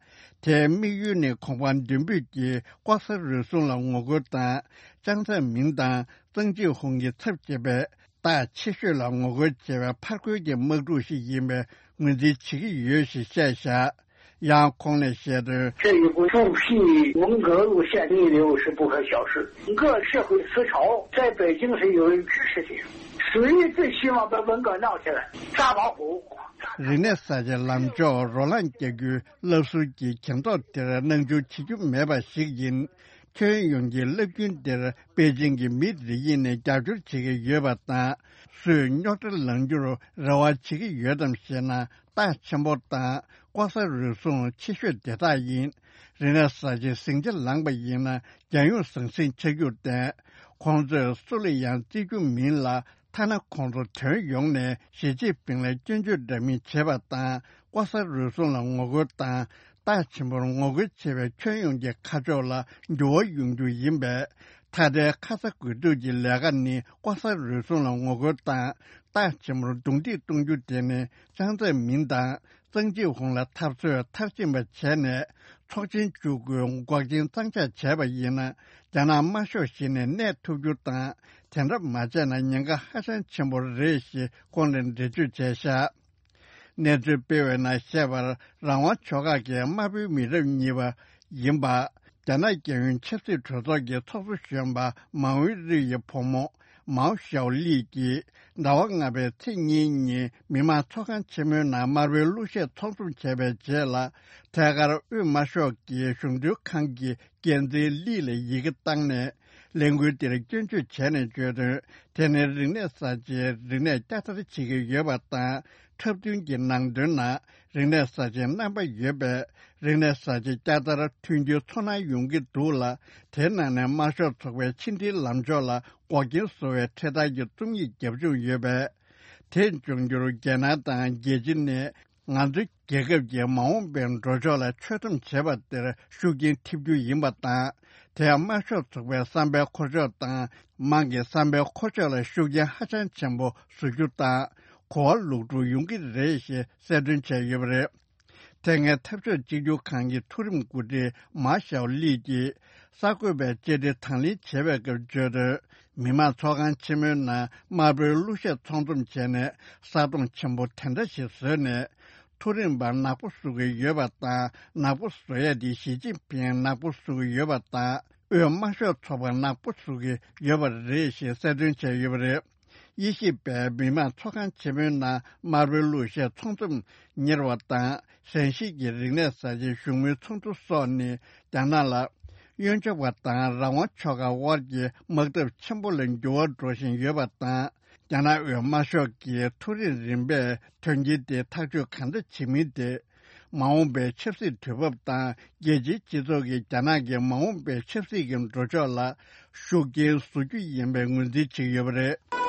དེའི་དམིགས་ཡུལ་ནི་གོ་འཕང་མདུན་སྤོས་ཀྱི་ལྐོག་ཟ་རུལ་སུངས་ལ་ངོ་རྒོལ་དང་། ཅང་ཙེ་མིན་དང་ཙང་ཅིག་ཧུང་གི་ཚབ་བྱེད་པའི་སྟག་ཆེ་ཤོས་ལ་ངོ་རྒོལ་བྱེད་པའི་ཕར་རྒོལ་གྱི་དམག་འཁྲུག་ཞིག་ཡིན་པའི་ངོས་འཛིན་བྱེད་ཀྱི་ཡོད་ཞེས་བཤད་བཞག་ཡང་ཁོང་ནས་བཤད་དོན། 这一股重批文革路线逆流是不可小视，文革社会思潮在北京是有人支持的，谁最希望把文革闹起来？大老虎。 རིག་གནས་གསར་བརྗེའི་ལམ་ཕྱོགས་རོ་ལངས་རྒྱག་རྒྱུའི་བསླབ་གསོ་གྱི་གྱེན་ཐོག་དེར་སྣང་ཆུང་བྱེད་རྒྱུ་མེད་པ་ཞིག་ཡིན། ཁྱོན་ཡོངས་ཀྱི་རླབས་རྒྱུན་དེར་པེ་ཅིང་གི་མི་རེ་ཡིན་ནས་རྒྱབ་སྐྱོར་བྱེད་ཀྱི་ཡོད་པ་དང་། སུས་རྙོག་དྲ་ལངས་རྒྱུར་རེ་བ་བྱེད་ཀྱི་ཡོད་དམ་ཞེ་ན། སྟག་ཆེན་པོ་དང་ལྐོག་ཟ་རུལ་སུངས་ཆེ་ཤོས་དེ་དག་ཡིན། རིག་གནས་གསར་བརྗེའི་ཟིང་ཆ་ལངས་པ་ཡིན་ན་རྒྱལ་ཡོངས་ཟང་ཟིང་ཆགས་རྒྱུར་བརྟེན། ཁོང་ཚོས་སུ་ལ་ཡང་བརྩི་རྒྱུ་མིན་ལ། ཐ་ན་ཁོང་ཚོ་དོན་ཡོང་ནས་ཞི་ཅིན་ཕིང་ལ་སྐྱོན་བརྗོད་འདྲ་མིན་བྱེད་པ་དང་ལྐོག་ཟ་རུལ་སུངས་ལ་ངོ་རྒོལ་དང་སྟག་ཆེན་པོར་ངོ་རྒོལ་བྱེད་པའི་ཁྱོན་ཡོངས་ཀྱི་ཁ་ཕྱོགས་ལ་འགྱུར་བ་ཡོང་རྒྱུ་ཡིན་པས། མཐའ་བྲལ་ཁ་ས་དགོས་གཏུགས་ཀྱི་ལས་ཀ་ནི་ལྐོག་ཟ་རུལ་སུངས་ལ་ངོ་རྒོལ་དང་། རྟགས་ཆེན་པོར་རྡུང་རྡེག་གཏོང་རྒྱུ་དེ་ནི་ཅང་ཙེ་མིན་དང་ཙང་ཅིག་ཧུང་ལ་འཐབ་རྩོད་མཐར་ཕྱིན་པ་བྱས་ནས། ཚོགས་ཆེན་བཅུ་དགུའི་འགོག་རྐྱེན་གཙང་འཕྱག་བྱས་པ་ཡིན་ན། རྒྱ་ནག་དམར་ཤོག་གཞི་ནས་གནས་ཐུབ་རྒྱུ་དང་། དེ་འདྲ་མ་བྱས་ན་ཉེན་ཁ་ཧ་ཅང་ཆེན་པོ་རེད་ཞེས་ཁོང་ནས་འགྲེལ་བརྗོད་བྱས་བཞག་གནས་ཚུལ་སྤེལ་བའི་ནང་བཤད་པར། རང་དབང་ཕྱོགས་ཁག་གི་དམར་པོའི་མི་རབས་གཉིས་པ་ཡིན་པ། རྒྱ་ནག་རྒྱལ་ཡོངས་ཆབ་སྲིད་གྲོས་ཚོགས་ཀྱི་ཚོགས་གཙོ་གཞོན་པ་མའོ་ཝེ་རི་ཡི་བུ་མོ་མའོ་ཞའོ་ལི་གིས་ཟླ་བ་ལྔ་པའི་ཚེས་གཉིས་ཉིན་མི་དམངས་ཚོགས་ཁང་ཆེན་མོའི་ནང་དམར་པོའི་གླུ་གཞས་ཚོགས་འཛོམས་བྱས་པའི་རྗེས་ལ། ཐད་ཀར་དབུས་དམར་ཤོག་གི་གཞུང་དོན་ཁང་གི་འགན་འཛིན་ལི་ལ་ཡི་གེ་བཏང་ནས། ལས་འགུལ་འདིར་སྐྱོན་བརྗོད་བྱས་ནས་བརྗོད་དོན། དེ་ནི་རིག་གནས་གསར་བརྗེའི་རིག་གནས་བསྐྱར་དར་བྱེད་ཀྱི་ཡོད་པ་དང་། འཁྲབ་སྟོན་གྱི་ནང་དོན་ནང་རིག་གནས་གསར་བརྗེའི་རྣམ་པ་ཡོད་པས། རིག་གནས་གསར་བརྗེ་བསྐྱར་དར་མཐུན་འགྱུར་ཚོར་སྣང་ཡོང་གི་འདུག་ལ། དེའི་ནང་ནས་དམར་ཤོག་ཚོགས་པའི་ཕྱི་འབྲེལ་ལམ་ཕྱོགས་ལ་འགོག་རྐྱེན་བཟོ་བའི་འཕྲེད་དར་གྱི་རྩོམ་ཡིག་རྒྱབ་ལྗོངས་ཡོད་པས། དེ་འབྱུང་འགྱུར་རྒྱལ་ནང་དང་རྒྱལ་སྤྱི་ནས། ང་ཚོའི་རྒྱལ་ཁབ་ཀྱི་མ་འོངས་པའི་འགྲོ་ཕྱོགས་ལ་ཆོད་གཏམ་བྱེད་པ་དེར་ཤུགས་རྐྱེན་ཐེབས་རྒྱུ་ཡིན་པ་དང་། དེ་ཡང་དམར་ཤོག་ཚོགས་པའི་བསམ་པའི་འཁོར་ཕྱོགས་དང་། དམངས་ཀྱི་བསམ་པའི་འཁོར་ཕྱོགས་ལ་ཤུགས་རྐྱེན་ཧ་ཅང་ཆེན་པོ་བཟོ་རྒྱུ་དང་། གོ་བ་ལོག་སྒྲུབ་ཡོང་གི་རེད་ཞེས་གསལ་སྟོན་བྱས་ཡོད་པ་རེད། དེ་སྔའི་འཐབ་ཕྱོགས་གཅིག་གྱུར་ཁང་གི་མཐོ་རིམ་འགོ་ཁྲིད་མཱ་ཞའོ་ལི་ཀྱིས། གསར་འགོད་པའི་བཅར་འདྲི་དང་ལེན་བྱེད་པའི་སྐབས་བརྗོད་དོན། མི་དམངས་ཚོགས་ཁང་ཆེན་མོའི་ནང་དམར་པོའི་གླུ་གཞས་ཚོགས་འཛོམས་བྱས་ནས། ས་དོང་ཆེན་པོ་དེ་འདྲ་ཞིག་བཟོས་ནས། མཐོ་རིམ་པར་ནག་པོ་བཟོ་གི་ཡོད་པ་དང་། ནག་པོ་བཟོ་ཡ་དེ་ཞི་ཅིན་ཕིང་ནག་པོ་བཟོ་གི་ཡོད་པ་དང་། དབུས་དམར་ཤོག་ཚོགས་པ་ནག་པོ་བཟོ་གི་ཡོད་པ་རེད་ཞེས་གསལ་སྟོན་བྱས་ཡོད་པ་རེད། དབྱེ་ཞིབ་པས་མི་དམངས་ཚོགས་ཁང་ཆེན་མོའི་ནང་དམར་པོའི་གླུ་གཞས་ཚོགས་འཛོམས་གཉེར་བ་དང་། ཧྲན་ཞི་གི་རིག་གནས་གསར་བརྗེའི་བཞུགས་མོལ་ཚོགས་འདུ་སོགས་ནི། རྒྱ་ནག་ལ་གཡོན་ཕྱོགས་པ་དང་རང་དབང་ཕྱོགས་ཁག་དབར་གྱི་དམག་འཐབ་ཆེན་པོ་ལ་འགྱུར་བ་འགྲོ་བཞིན་ཡོད་པ་དང་། རྒྱ་ནག་དབུས་དམར་ཤོག་གིས་མཐོ་རིམ་རིམ་པས་དོན་རྐྱེན་དེ་ཐག་གཅོད་གང་འདྲ་བྱེད་མིན་དེ། མ་འོངས་པའི་ཆབ་སྲིད་དུས་བབ་དང་། རྒྱལ་སྤྱིའི་སྤྱི་ཚོགས་ཀྱིས་རྒྱ་ནག་གི་མ་འོངས་པའི་ཆབ་སྲིད་ཀྱི་འགྲོ་ཕྱོགས་ལ་ཤུགས་རྐྱེན་བཟོ་རྒྱུ་ཡིན་པའི་ངོས་འཛིན་བྱེད་ཀྱི་ཡོད་པ་རེད།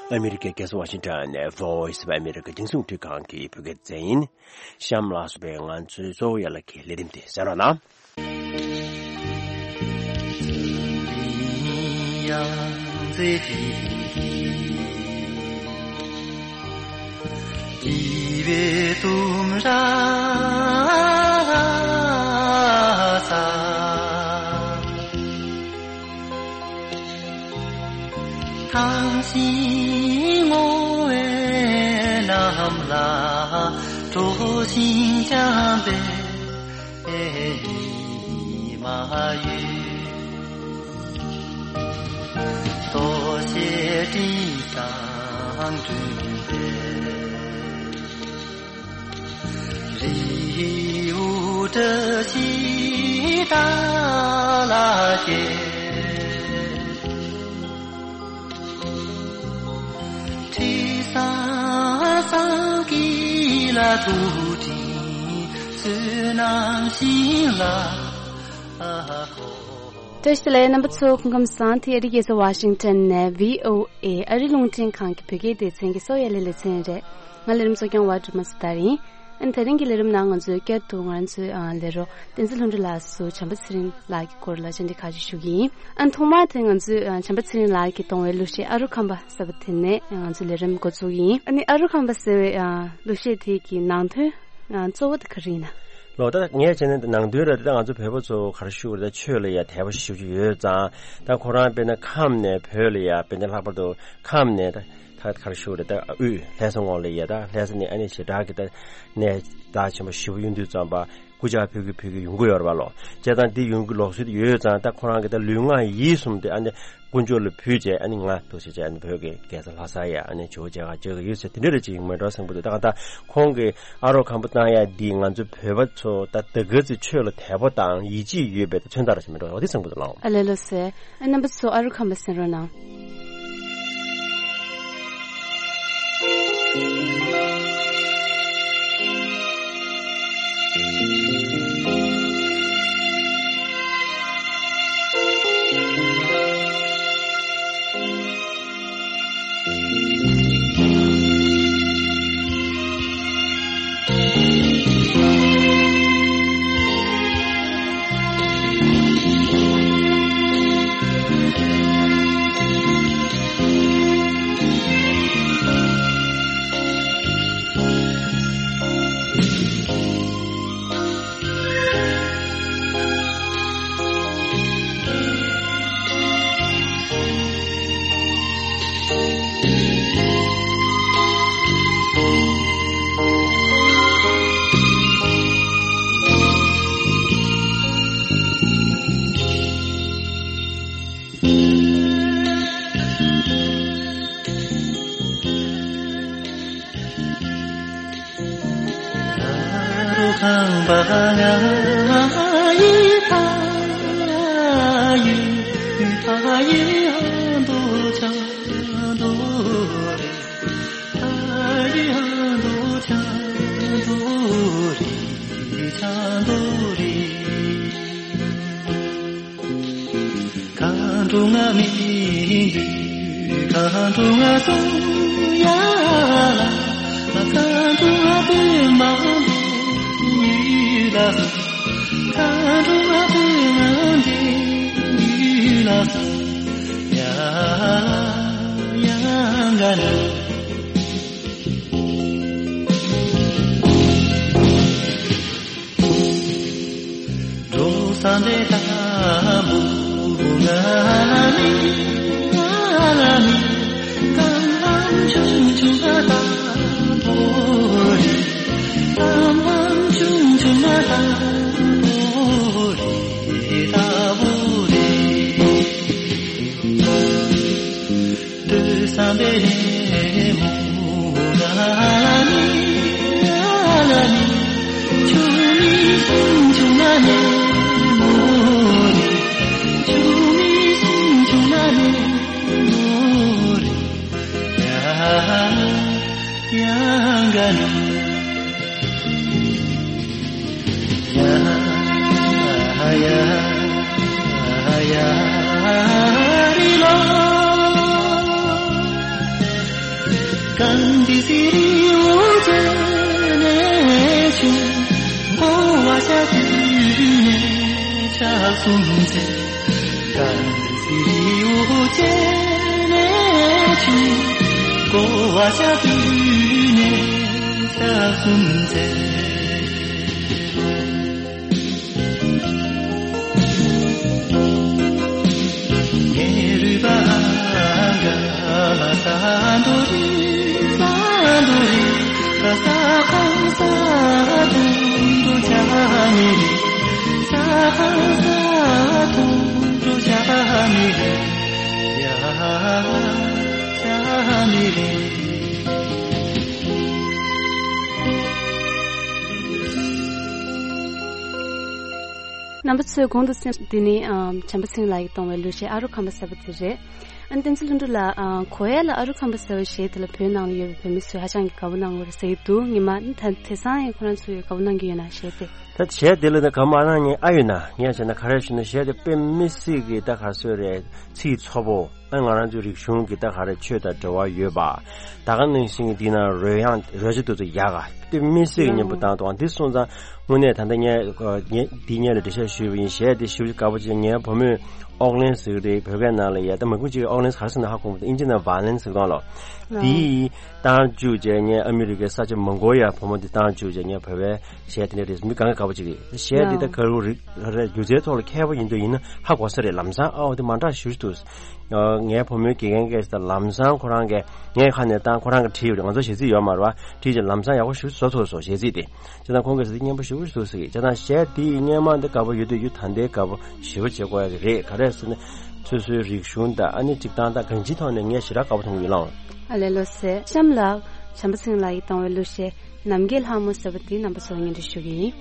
ཨ་མི་རི་ཀའི་རྒྱལ་ས་ཝ་ཤིང་ཊོན་ནས་Voice of America་རྒྱང་སྲིང་རླུང་འཕྲིན་ཁང་གི་བོད་སྐད་སྡེ་ཚན་ཡིན། གཤམ་ལ་སོགས་པའི་ང་ཚོའི་གཙོ་བོ་ཡན་ལག་གི་ལས་རིམ་དེ་གསན་རོགས་གནང་། བཀྲ་ཤིས་བདེ་ལེགས། རྣམ་པ་ཚོ་སྐུ་ཁམས་བཟང་། དེ་ཨ་རིའི་རྒྱལ་ས་ཝ་ཤིང་ཊོན་ནས་བྷི་ཨོ་ཨེ་ཨ་རིའི་རླུང་འཕྲིན་ཁང་གི་བོད་སྐད་སྡེ་ཚན་གྱི་གསོ་བའི་ལས་ལེ་ཚན་རེད། ང་ལས་རིམ་གཙོ་སྐྱོང་བ་སྒྲོལ་མ་སོ་ཐར་ཡིན། ཨ་ནི་དེ་རིང་གི་ལས་རིམ་ནང་ང་ཚོས་བསྐྱར་དུ་ང་ཚོའི་ཨ་ལས་རོགས་བསྟན་འཛིན་ལྷུན་གྲུབ་ལགས་སུ་བྱམས་པ་ཚེ་རིང་ལགས་ཀྱི་སྐོར་ལ་བཅར་འདྲི་ཁག་ཅིག་ཞུ་གི་ཡིན། ཨ་ནི་ཐོག་མར་དེ་ང་ཚོས་ཨ་བྱམས་པ་ཚེ་རིང་ལགས་ཀྱིས་གཏོང་བའི་གླུ་གཞས་ཨ་རུ་ཁམས་པ་ཟེར་བ་དེ་ནས་ང་ཚོའི་ལས་རིམ་འགོ་བཙུགས་ཀྱི་ཡིན། ཨ་ནི་ཨ་རུ་ཁམས་པ་ཟེར་བའི་ཨ་གླུ་གཞས་དེ་གི་ནང་དོན་ཨ་གཙོ་བོ་དེ་ག་རེ་ཡིན་ན། ལོ་ད་ངས་བྱས་ན་ནང་དོན་ལ་ད་ང་ཚོ་བོད་པ་ཚོ་ག་རེ་ཞུ་དགོས་རེད། ད་ཆོས་ལ་ཡ་དད་པ་ཞེ་པོ་ཅིག་ཡོད་ཙང་། ད་ཁོ་རང་དཔེར་ན་ཁམས་ནས་བོད་ལ་ཡ། དཔེར་ན་ལྷག་པར་དུ་ཁམས་ནས་ད་ད་ག་རེ་ཞུ་དགོས་རེད། ད་དབུས་ལྷ་ས་ངོས་ལ་ཡ། ད་ལྷ་ས་ནས་ཨ་ནི་ཞེ་དྲག་གི་ད་གནས་རྟགས་ཆེན་པོ་ཞེ་པོ་ཡོང་དུས་ཙམ་པ་སྐུ་ཕྱྭ་ཕུལ་གི་ཕུལ་གི་ཡོང་གི་ཡོད་རེད་པ་ལོ། བྱས་ཙང་འདི་ཡོང་གི་ལུགས་སྲོལ་དེ་ཡོད་ཙང་། ད་ཁོ་རང་གི་ད་ལུས་ངག་ཡིད་གསུམ་དེ་ཨ་ནི་དཀོན་མཆོག་ལ་ཕུལ་བྱས། ཨ་ནི་ང་འདུག་སེ་བྱས། ཨ་ནི་བོད་ཀྱི་རྒྱལ་ས་ལྷ་ས་ཡ་ཨ་ནི་ཇོ་བོ་མཇལ་ཁ་བཅར་གི་ཡོད་ཟེར། དེ་འདྲ་རེ་ཅིག་ཡིན་མེད་འགྲོ་བསམ་གི་འདུག། ད་ག་ད་ཁོང་གིས་ཨ་རོ་ཁམས་པ་བཏང་ཡ་འདི་ང་ཚོ་བོད་པ་ཚོ་ད་ད་ག་ཚོད་ཆོས་ལ་དད་པ་དང་ཡིད་ཆེས་ཡོད་པའི་མཚོན་རྟགས་རེ་ཞིག་མེད་འགྲོ། འོ་དེ་བསམ་གི་འདུག་ལགས། ཨ་ལས་ལགས་སེ། ཨ་རྣམ་པ་ཚོ་ཨ་རུ་ཁམས་པ་གསན་རོགས་གནང་། རྣམ་པ་ཚོས་གོང་དུ་གསན་འདི་ནི་ཨ་བྱམས་པ་སེང་ལགས་ཀྱིས་གཏོང་བའི་གླུ་གཞས་ཨ་རུ་ཁམས་པ་ཟེར་བ་དེ་རེད། ཨ་བསྟན་འཛིན་ལྷུན་གྲུབ་ལགས། ཨ་གོ་ཡ་ལ་ཨ་རུ་ཁམས་པ་ཟེར་བའི་གཞས་དེ་ལ་བོད་ནང་ལ་ཡོད་པའི་བོད་མི་ཚོས་ཧ་ཅང་གི་དགའ་པོ་གནང་གི་རེད་ཟེར་གྱི་འདུག་ཉི་མ་ད་དེང་སང་ཡང་ཁོ་རང་ཚོས་དགའ་པོ་གནང་གི་ཡོད་ན་གཞས་དེ། ད་གཞས་དེ་ལ་ད་དགའ་པོ་གནང་མཁན་ཨ་ཡོད་ན། ངས་བྱས་ན་ག་རེ་ཞུ་ན། གཞས་དེ་དཔེ་མི་སྲིད་ཀྱི་ད་ག་རེ་ཟེར་རེད། ཚིག་ཚོ་པོ། ཨ་ང་རང་ཚོའི་རིག་གཞུང་གི་ད་ག་རེ་ཆོས་དང་འབྲེལ་བ་ཡོད་པ། ད་ག་ནང་བཞིན་གྱི་འདི་ན་རོལ་དབྱངས་རོལ་ཆ་དེ་ཚོ་ཡག་ག་དཔེ་མི་སྲིད་ཀྱི་སྙན་པོ་བཏང་འདུག་འདི་སོང་ཙང་དངོས་གནས་ད་ལྟ་ངས་ངས་འདི་སྔོན་ལ་འགྲེལ་བཤད་ཞུས་པ་ཡིན། གཞས་དེ་ཞེ་པོ་ཅིག་དགའ་པོ་བྱས། ངའི་བུ་མོས་ཨོག་ལན་ཟེར་གྱི་རེད། བོད་སྐད་ནང་ལ་ཡ། ད་མང་པོ་ཅིག་ཨོག་ལན་ག་རེ་ཟེར་ན་ཧ་གོ་མི་འདུག་ཨིན་ཇི་ནང་ཝ་ཡོ་ལེན་ཟེར་གྱི་འདུག་ལོ། དེའི་བཏང་བཅུག་བྱས། ངས་ཨ་མི་རི་ཀའི་ས་ཆ་མང་པོ་ཡ་བུ་མོ་འདི་བཏང་བཅུག་བྱས། ངས་བོད་པའི་གཞས་དེ་འདྲ་རེད། མི་གང་ག་དགའ་པོ་ཅིག་རེད། གཞས་འདི་ད་ག་རུ་རིག་རེད། སྒྱུ་རྩལ་ཐོག་ལ་མཁས་པོ་ཡིན་འདོད་ཡིན་ན་ཧ་གོ་ས་རེད། ལམ་སང་ཨའོ་དེ་མ་འདྲ་ཞེ་པོ་ཅིག་འདུག་ངའི་བུ་མོའི་དགེ་རྒན་གྱིས་ད་ལམ་སང་ཁོ་རང་གིས་ངའི་ཁ་ནས་བཏང་། ཁོ་རང་གིས་བྲིས་ཡོད་རེད། ང་ཚོ་གཞས་ཚིག་ཡོད་མ་རེད་པ། བྲིས་བྱས་ལམ་སང་ཡག་པོ་ཞེ་པོ་ཅིག་བཟོ་ཐུབ་སོང་། གཞས་ཚིག་དེ་བྱས་ཙང་ཁོང་གིས་ཟེར་དེ་སྙན་པོ་ཞེ་པོ་ཅིག་འདུག་ཟེར་གྱི། བྱས་ཙང་གཞས་དེ་སྔོན་མ་འདི་དགའ་པོ་ཡོད་དུས་ཡུ་ད་ལྟའི་དགའ་པོ་ཞེ་པོ་བྱེད་དགོས་ཡ་རེད། ག་རེ་ཟེར་ན། སོ་སོའི་རིག་གཞུང་དང་ཨ་ནི་སྒྲིག་སྟངས་དང་གང་ཅིའི་ཐོག་ནས་ངས་ཞེ་དྲག་དགའ་པོ་མཐོང་གི་ཡོད་ལགས། ཨ་ལས། ལགས་སོ། གཤམ་ལ་བྱམས་པ་སེང་ལགས་ཀྱིས་བཏང་བའི་གླུ་གཞས་ནམ་མཁའི་ལྷ་མོ་ཟེར་བ་འདི་རྣམ་པ་ཚོར་སྙན་སྒྲོན་ཞུ་གི་ཡིན།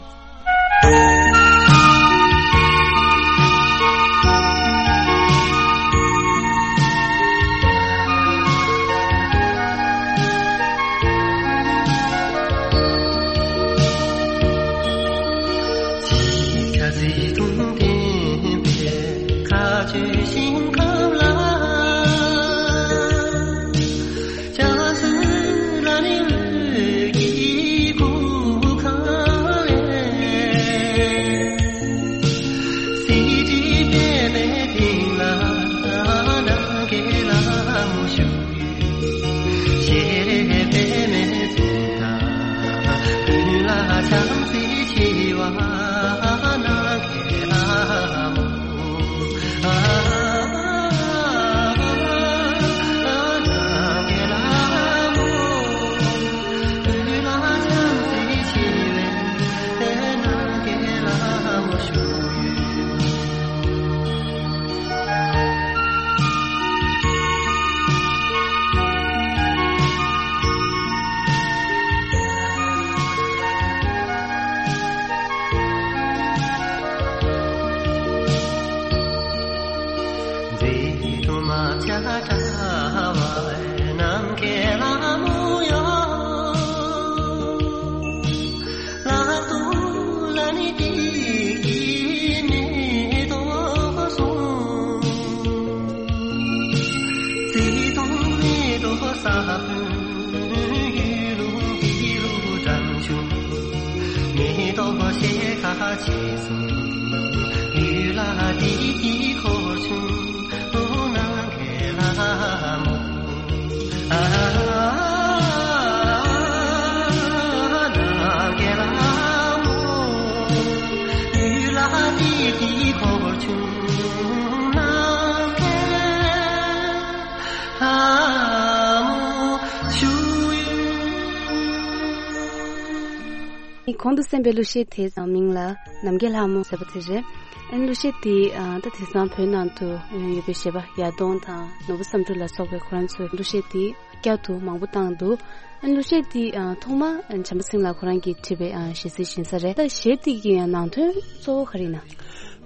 གོང་དུ་གསན་པའི་གླུ་གཞས་དེའི་མིང་ལ་ནམ་མཁའི་ལྷ་མོ་ཟེར་བ་དེ་རེད། ཨ་ནི་གླུ་གཞས་དེ་ཨ་ད་དེང་སང་བོད་ནང་དུ་ཡང་ཡོད་པའི་གཞས་པ་ཡར་ལྡོང་དང་ནོར་བུ་བསམ་འགྲུབ་ལ་སོགས་པའི་ཁོ་རང་ཚོས་གླུ་གཞས་དེ་བསྐྱར་དུ་མང་པོ་བཏང་འདུག་ཨ་ནི་གླུ་གཞས་དེ་ཨ་ཐོག་མ་ཨ་བྱམས་པ་སེང་ལགས་ཁོ་རང་གིས་བྲིས་པའི་ཨ་གཞས་ཚིག་ཡིན་ས་རེད། ད་གཞས་དེ་གི་ཨ་ནང་དོན་གཙོ་བོ་ག་རེ་ཡིན་ན།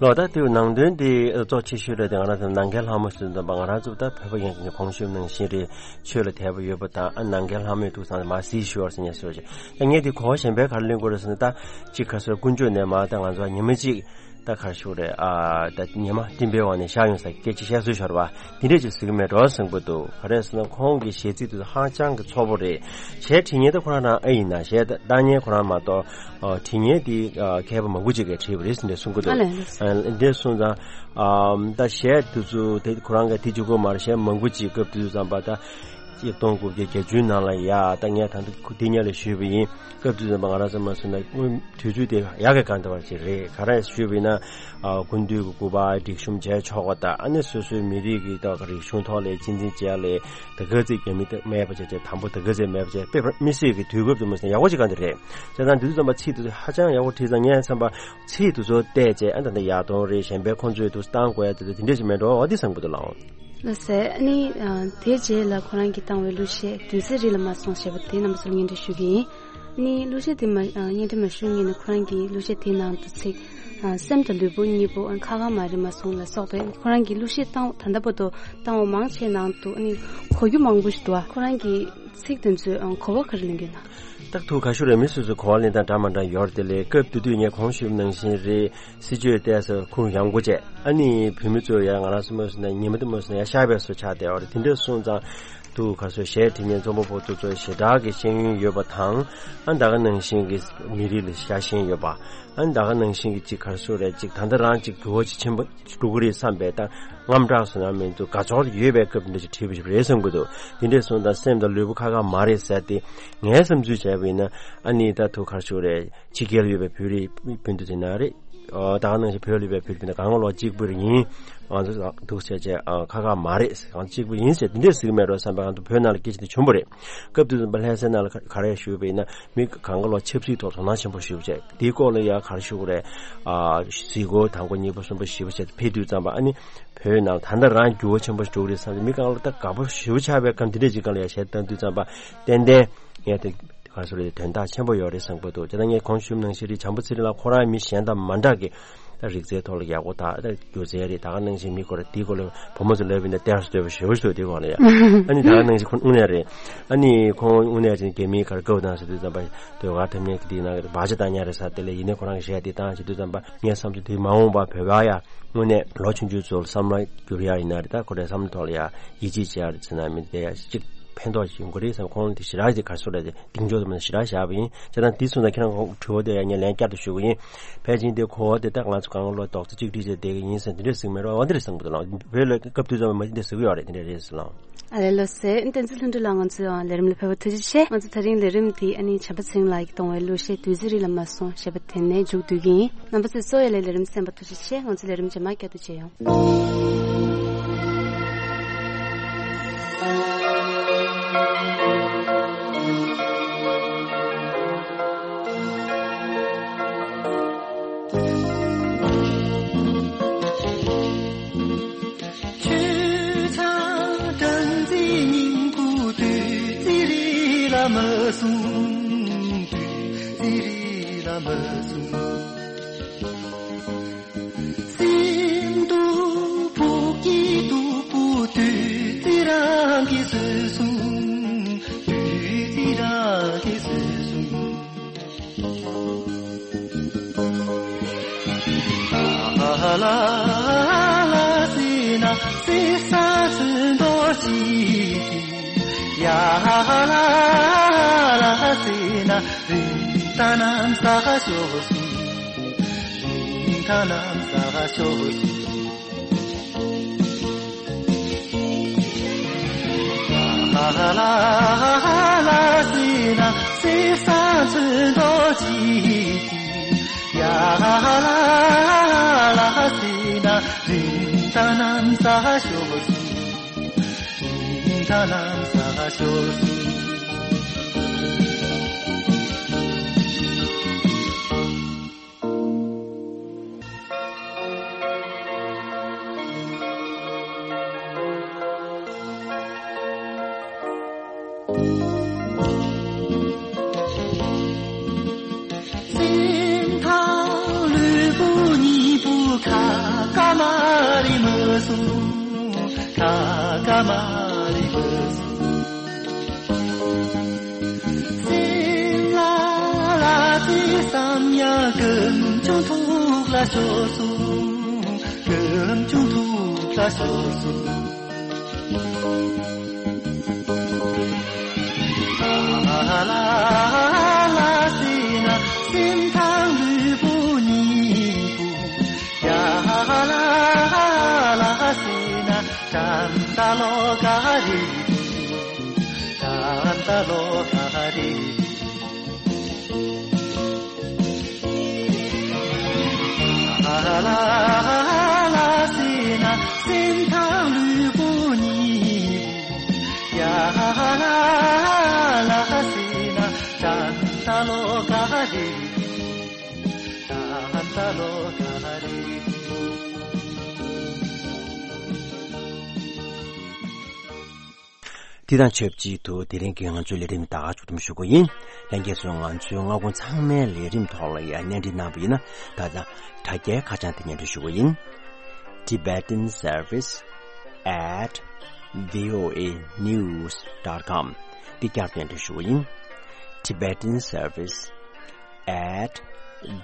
ལོ། ད་དེའི་ནང་དོན་དེ་གཙོ་ཆེ་ཤོས་རེད་དེ། ང་རང་ཚོ་ནམ་མཁའི་ལྷ་མོ་ཟེར་དུས་ཙམ་པ་ང་རང་ཚོ་ད་བོད་པ་ཡིན་ནས་གོང་ཞུས་ནང་བཞིན་རེད། ཆོས་ལ་དད་པ་ཡོད་པ་དང་། ཨ་ནམ་མཁའི་ལྷ་མོས་འདུག་ཙང་མར་གཟིགས་ཤོག་ཟེར་ནས་ཟེར་བ་ཞིག་ད་ངས་དེ་གོ་བ་གཞན་པའི་ག་རེ་ལེན་དགོས་རེད་ཟེར་ན། ད་གཅིག་ག་ཚོད་དཀོན་མཆོག་ནས་མར་ད་ང་ཚོ་ཉི་མ་གཅིག་ད་ག་རེ་ཞུ་དགོས་རེད། ཨ་ད་ཉི་མ་སྤྲིན་པའི་འོག་ནས་ཤར་ཡོང་ས་སྐད་ཆ་བཤད་སྲོལ་ཤོར་བ་དེ་འདྲས་ཅིག་ཟེར་གྱི་མེད་འགྲོ་བསམ་གྱི་འདུག་ག་རེ་ཟེར་ན་ཁོང་གི་གཞས་ཚིག་དེ་ཚོ་ཧ་ཅང་གི་ཚོགས་པོ་རེད། གཞས་འབྲི་མཁན་ད་ཁོ་རང་རང་ཨེ་ཡིན་ན། གཞས་བཏང་མཁན་ཁོ་རང་མ་གཏོགས། ཨ་འབྲི་མཁན་དེ་ཨ་མཁས་པ་མང་པོ་ཅིག་གིས་བྲིས་པ་རེད་ཟེར་ནས་གསུང་གི་འདུག་ཨ་ལས། ཨ་འདི་སོང་ཙང་ཨ་ད་གཞས་དེ་ཚོ་དེ་ཁོ་རང་གིས་དེ་གཅིག་པོ་མ་རེད། གཞས་མང་པོ་ཅིག་སྐབས་དེ་དུས་ཙམ་པ་ད་ཆིག་སྟོང་དགུ་བརྒྱ་བརྒྱད་ཅུའི་ནང་ལ་ཡ། ད་ངས་ད་ལྟ་དེ་སྔོན་ལ་ཞུས་པ་ཡིན། སྐབས་དེ་དུས་ཙམ་པ་ང་རང་ཚོ་མ་སོང་ན་དུས་ཚོད་དེ་ཡག་གི་གང་འདྲ་བ་ཅིག་རེད། ག་རེ་ཞུས་པ་ཡིན་ན། ཨ་སྐུ་མདུན་གྱི་སྐུ་པར་སྒྲིག་གཤོམ་བྱས་ཆོག་པ་དང་། ཨ་ནི་སོ་སོའི་མི་རིགས་ཀྱི་ད་རིག་གཞུང་ཐོག་ལ་གཅེས་འཛིན་བྱས་ལས། ད་ག་ཚོད་རྒྱ་མི་མེད་པ་བྱས་བྱས། དང་པོ་ད་ག་ཚོད་མེད་པ་བྱས། དཔེ་མི་སྲིད་ཀྱི་དུས་སྐབས་དུ་མ་སོང་ཡག་པོ་ཅིག་གང་དེ་རེད། བྱས་ཙང་དེ་དུས་ཙམ་པ་ཚིག་དེ་ཚོ་ཧ་ཅང་ཡག་པོ་བྲིས་ཙང་། ངས་བསམ་པ་ཚིག་དེ་ཚོ་བལྟས་བྱས། ཨ་ད་ད་ཡར་ལྡོང་རེད། གཞན་པའི་ཁོང་ཚོས་དུ་བཏང་དགོས་ཡ་དེ་ཚོ་དེ་འདྲས་ཞིག་མེད་འགྲོ། འོ་དེ་བསམ་གྱི་འདུག་ལགས། ལགས་སེ། ཨ་ནི་ཨ་དེའི་རྗེས་ལ་ཁོ་རང་གིས་བཏང་བའི་གླུ་གཞས་བདུད་རྩི་རི་ལ་མ་སོང་ཞེས་པ་དེ་རྣམ་པ་ཚོར་སྙན་སྒྲོན་ཞུ་གི་ཡིན། ནི་གླུ་གཞས་དེ་མ་ཨ་སྙན་སྒྲོན་མ་ཞུ་སྔོན་ནས་ཁོ་རང་གིས་གླུ་གཞས་དེའི་ནང་དུ་ཚིག་ཨ་སེམས་དང་ལུས་པོ་གཉིས་པོ་ཨ་ཁ་ཁ་མ་རེད་མ་སོང་ལ་སོགས་པའི་ཁོ་རང་གིས་གླུ་གཞས་བཏང་ད་ལྟ་བར་དུ་བཏང་བ་མང་ཆེ་ནང་དུ་ཨ་ནི་གོ་རྒྱུ་མང་པོ་ཞིག་འདུག་ཨ་ཁོ་རང་གིས་ཚིག་དེ་ཚོའི་ཨ་གོ་བ་ག་རེ་ལེན་གྱི་ཡོད་ན། ད་ཐུགས་ཁ་ཤོར་རེད། མི་སོ་སོའི་གོ་བ་ལེན་སྟངས་འདྲ་མ་འདྲ་ཡོད་རེད་དེ། ལས་སྐབས་དེ་དུས་ངས་གོང་ཞུས་ནང་བཞིན་རེད། སྲིད་བྱུས་བལྟས་ས་ཁུར་ཡང་སྒོ་བཅད། ཨ་ནི་བོད་མི་ཚོ་ཡང་ང་རང་ཚོ་མོས་སུ་ན་ཉི་མ་དུ་མོས་སུ་ན་ཡ་ཤར་བའི་སུ་ཆགས་བསྡད་པ་རེད། དེ་འདྲ་སོང་ཙང་། དུ་ག་སོ་གཞས་འབྲི་མཁན་རྩོམ་པ་པོ་དེ་ཚོ་ཞེ་དྲག་གི་ཤེས་ཡོན་ཡོད་པ་དང་། ཨ་ད་ག་ནང་བཞིན་གྱི་མི་རིགས་ལ་ཤ་ཞེན་ཡོད་པ། ཨ་ད་ག་ནང་བཞིན་གྱི་ཅིག་ག་རེ་ཟེར་རེད། ཅིག་ད་ལྟ་རང་ཅིག་འགྱུར་བ་ཅིག་ཆེན་པོ་འགྲོ་གི་རེད་བསམ་པའི་ད་རྔམ་སྐྲག་སོང་ན་མི་འདུག་དགའ་ཕྱོགས་ཡོད་པའི་སྐབས་འདི་ཅིག་བྲིས་པ་ཞིག་རེད་བསམ་གྱི་འདུག་དེ་འདྲས་སོང་ཙང་སེམས་དང་ལུས་པོ་ཁ་ཁ་མ་རེད་ཟེར་ཏེ། ངའི་བསམ་ཚུལ་བྱས་པ་ཡིན་ན། ཨ་ནི་ད་དུ་ག་རེ་ཟེར་རེད། ཕྱི་རྒྱལ་ཡོད་པའི་བོད་རིགས་སྤུན་ཟླ་དེ་ན་རེད། ཨོ་ད་ག་ནང་བཞིན་བོད་ལ་ཡོད་པའི་བོད་རིགས་སྤུན་ཟླ་གང་ག་ལོག་གཅིག་པུ་རེད་ཡིན། ང་ཚོ་འདུག་ཟེར་བྱས་ཨ་ཁ་ཁ་མ་རེད། གང་གཅིག་པུ་ཡིན་ཟེར་དེ་འདྲས་ཟེར་གྱི་མེད་འགྲོ་བསམ་པའི་ང་ཚོ་བོད་ནང་ལ་སྐད་ཆ་དེ་བྱུང་བ་རེད། སྐབས་དེ་ཙམ་པ་ལྷ་སའི་ནང་ལ་ག་ག་རེ་ཞུས་པ་ཡིན་ན། མི་གང་ག་ལོག་ཆབ་སྲིད་ཐོག་དོ་སྣང་ཆེན་པོ་ཞུ་བྱས། དེའི་སྐོར་ལ་ཡ་ག་རེ་ཞུ་དགོས་རེད། ཨ་གཟིགས་སྐོར་དང་པོ་གཉིས་པ་གསུམ་པ་བཞི་པ་བྱས་ཕེབས་དུས་ཙམ་པ། ཨ་ནི་བོད་ནང་ད་ལྟ་རང་འགྱུར་བ་ཆེན་པོ་ཞིག་འགྲོ་གི་རེད་བསམ་སྟེ། མི་གང་ལ་ད་དགའ་པོ་ཞེ་པོ་ཆགས་པའི་སྐབས་འདི་འདྲས་ཅིག་སྒང་ལ་ཡ་གཞས་བཏང་དུས་ཙམ་པ་ཏན་ཏན་ངས་དེ་ག་རེ་ཟེར་རེད། དོན་དག་ཆེན་པོ་ཡོད་རེད་བསམ་གྱི་འདུག་དེ་ལྟར་ངས་གོང་ཞུས་ནང་བཞིན་རེད། བྱམས་པ་ཚེ་རིང་ལགས་ཁོ་རང་མི་གཞན་དང་མ་འདྲ་གི་ད་རིག་རྩལ་ཐོག་ལ་ཡག་པོ་དང་། ད་སྒྱུ་རྩལ་རེད། ད་ག་ནང་བཞིན་མི་སྐོར་དེའི་སྐོར་ལ་བུ་མོ་ཚོ་ལབ་པ་ཡིན་ན་གཏེར་སུ་སྡོད་པ་ཞེ་པོ་ཞིག་འདུག་དེའི་སྐོར་ལ་ཡ། ཨ་ནི་ད་ག་ནང་བཞིན་ཁོང་དངོས་གནས་རེད། ཨ་ནི་ཁོང་དངོས་གནས་ཅིག་རྒྱ་མིའི་ག་རེ་དགའ་བོ་དང་ཟེར་དུས་ཙམ་པ་ཟློས་གར་འཐེན་མཁན་གྱི་དེའི་ནང་གི་བག་ཆགས་བཏང་ཉག་རེད་ཟེར། དེ་ལས་ཡིན་ནའི་ཁོ་རང་གི་གཞས་དེ་བཏང་བྱེད་དུས་ཙམ་པ་ངས་བསམ་ཚུལ་དེ་མ་འོངས་པ་བོད་པ་ཡ་དངོས་གནས་ལོ་ཆུང་ཆུང་ཚོ་ལ་བསམ་བློ་བསྒྱུར་ཡ་ཡིན་ན་རེད། ད་ཁོ་རའི་བསམ་བློ་ཐོག་ལ་ཡ་ཡིད་ཆེས་བྱེད་ཡ་རེད་ཟེར་ན་མི་དེ་ཡ་གཅིག་ཕན་ཐོགས་ཡོང་གི་རེད་བསམ། ཁོང་དེ་ཞེ་དྲག་དེ་ག་རེ་ཟེར་རེད། དེ་གདེང་འཇོག་དུ་མ་ཞེ་དྲག་བཞག་པ་ཡིན། བྱས་ཙང་དེ་སོང་ཙང་ཁྱེད་རང་ཁོང་དྲི་བ་དེ་ཡ་ངས་ལན་བསྐྱར་དུ་ཞུ་གི་ཡིན། ཕལ་ཆེར་དེ་གོ་བ་དེ་ད་ང་ཚོ་གང་ལོ་རྡོག་རྩ་གཅིག་སྒྲིལ་བྱས་བསྡད་ཀྱི་ཡིན་ཟེར་འདི་འདྲས་ཟེར་གྱི་མེད་རོགས། འོ་འདི་རེད་བསམ་གྱི་འདུག་ལགས། བོད་ལ་སྐབས་དུས་ཙམ་པ་མ་འདི་འདྲས་ཟེར་གྱི་ཡོད་རེད། འདི་འདྲས་རེད་ཟེར་ལགས། ཨ་ལས་ལགས་སེ། བསྟན་འཛིན་ལྷུན་གྲུབ་ལགས་ང་ཚོའི་ལས་རིམ་ལ་ཕེབས་པར་ཐུགས་རྗེ་ཆེ། ང་ཚོ་ད་རིང་ལས་རིམ་འདི་ཨ་ནི་བྱམས་པ་ཚེ་རིང་ལགས་ཀྱིས་གཏོང་བའི་གླུ་གཞས་བདུད་རྩི་རི་ལ་མ་སོང་ཞེས་པ་དེ་ནས་མཇུག་བསྡུ་གི་ཡིན། རྣམ་པ་ཚོས་གསོ་བའི་ལས་ལས་རིམ་གསན་པར་ཐུགས་རྗེ་ཆེ། ང་ཚོ་ལས་རིམ་རྗེས་མ་བསྐྱར་དུ་མཇལ་ཡོང་། ཆོས་ཆང་སྦྲང་རྩིའི་ཉིང་ཁུ་བདུད་རྩི་རི་ལ་མ་སོང་། བདུད་རྩི་རི་ལ་མ་སོང་། སེམས་སྡུག་ཕུགས་ཀྱི་སྟུག་པོ་བདུད་ གིས་བཟོས་སོང་། བདུད་རྩི་རང་གིས་བཟོས་སོང་། ལ་ལ་ལ་ཟེར་ན་སྲིད་ས་ཚོན་མདོག་གཅིག་གི། ཡ་ལ་ལ་ཟེར་ན་རིན་ཐང་གནམ་ས་ཤོར་སོང་། རིན་ཐང་གནམ་ས་ཤོར་སོང་། ལ་ལ་ལ་ཟེར་ན་སྲིད་ས་ཚོན་མདོག་གཅིག་གི། ཡ་ལ་ལ་ཟེར་ན་རིན་ཐང་གནམ་ས་ཤོར་སོང་། རིན་ཐང་གནམ་ས་ཤོར་སོང་། སེམས་ཐག་ལུས་པོ་གཉིས་པོ་ཁ་ཁ་མ་རེད་མ་སོང་། ཁ་ཁ་མ་རེད་མ་སོང་། སེམས་ལ་ལ་ཅི་བསམ་ཡང་སྐམ་ཆུང་ཐུག་ལ་ཤོར་སོང་། སྐམ་ཆུང་ཐུག་ལ་ཤོར་སོང་། ལ་ལ་ལ་ཟེར་ན་སེམས་ཐག་ལུས་པོ་གཉིས་པོ། ཡ་ལ་ལ་ཟེར་ན་ད་ལྟ་ལོ་ག་རེ། ད་ལྟ་ལོ་ག་རེ། ལ་ལ་ལ་ཟེར་ན་སེམས་ཐག་ལུས་པོ་གཉིས་པོ། ཡ་ལ་ལ་ཟེར་ན་ད་ལྟ་ལོ་ག་རེ། ད་ལྟ་ལོ་ག་རེ། འདི་དང་ཆབས་ཅིག་ཏུ་དེ་རིང་གི་ང་ཚོའི་ལས་རིམ་ད་ག་མཇུག་བསྡོམས་ཞུ་གི་ཡིན། ལྷན་རྒྱས་ཚོས་ང་ཚོའི་སྔ་དགོང་ཚང་མའི་ལས་རིམ་ཐོག་ལ་ཡང་གནས་འདྲི་གནང་བ་ཡིན་ན། ད་ལྟ་དྲ་རྒྱའི་ཁ་བྱང་དེ་སྙན་སྒྲོན་ཞུ་གི་ཡིན། Tibetan Service at V O A news dot com འདི་བསྐྱར་དུ་སྙན་སྒྲོན་ཞུ་གི་ཡིན། Tibetan Service at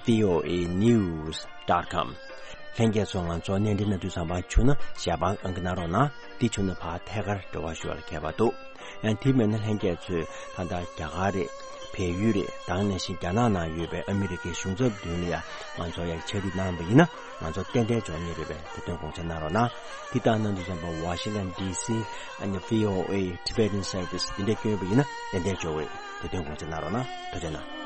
V O A news dot com ལྷན་རྒྱས་ཚོ་ང་ཚོ་གནས་འདྲི་གནང་དུས་ཙམ་པ་བྱུང་ན་ཞལ་པར་ཨང་ཀི་གནང་རོགས་གནང་། འདི་བྱུང་ན་ཕར་ཐད་ཀར་འབྲེལ་བ་ཞུ་བར་མཁས་པ་འདུག་ཡང་དེ་མིན་ན་ལྷན་རྒྱས་ཚོས་ད་ལྟ་རྒྱ་གར་རེད། བལ་ཡུལ་རེད། ད་ག་ནང་བཞིན་རྒྱ་ནག་ནང་ཡོད་པའི་ཨ་མི་རི་ཀའི་གཞུང་ཚབ་མདུན་ལ་ཡང་ང་ཚོ་ཡར་ཕྱག་བྲིས་གནང་བ་ཡིན་ན་ང་ཚོ་ཏན་ཏན་འབྱོར་ངེས་རེད་པས། དེ་དོན་དགོངས་འཇགས་གནང་རོགས་གནང་། འདི་ལྟར་གནང་དུས་ཙམ་པ་Washington D C ཨ་ནི་V O A Tibetan Service འདི་འདྲ་བསྐྱོན་པ་ཡིན་ན་ཏན་ཏན་འབྱོར་བས། དེ་དོན་དགོངས་འཇགས་གནང་རོགས་གནང་། ཐུགས་རྗེ་གནང་།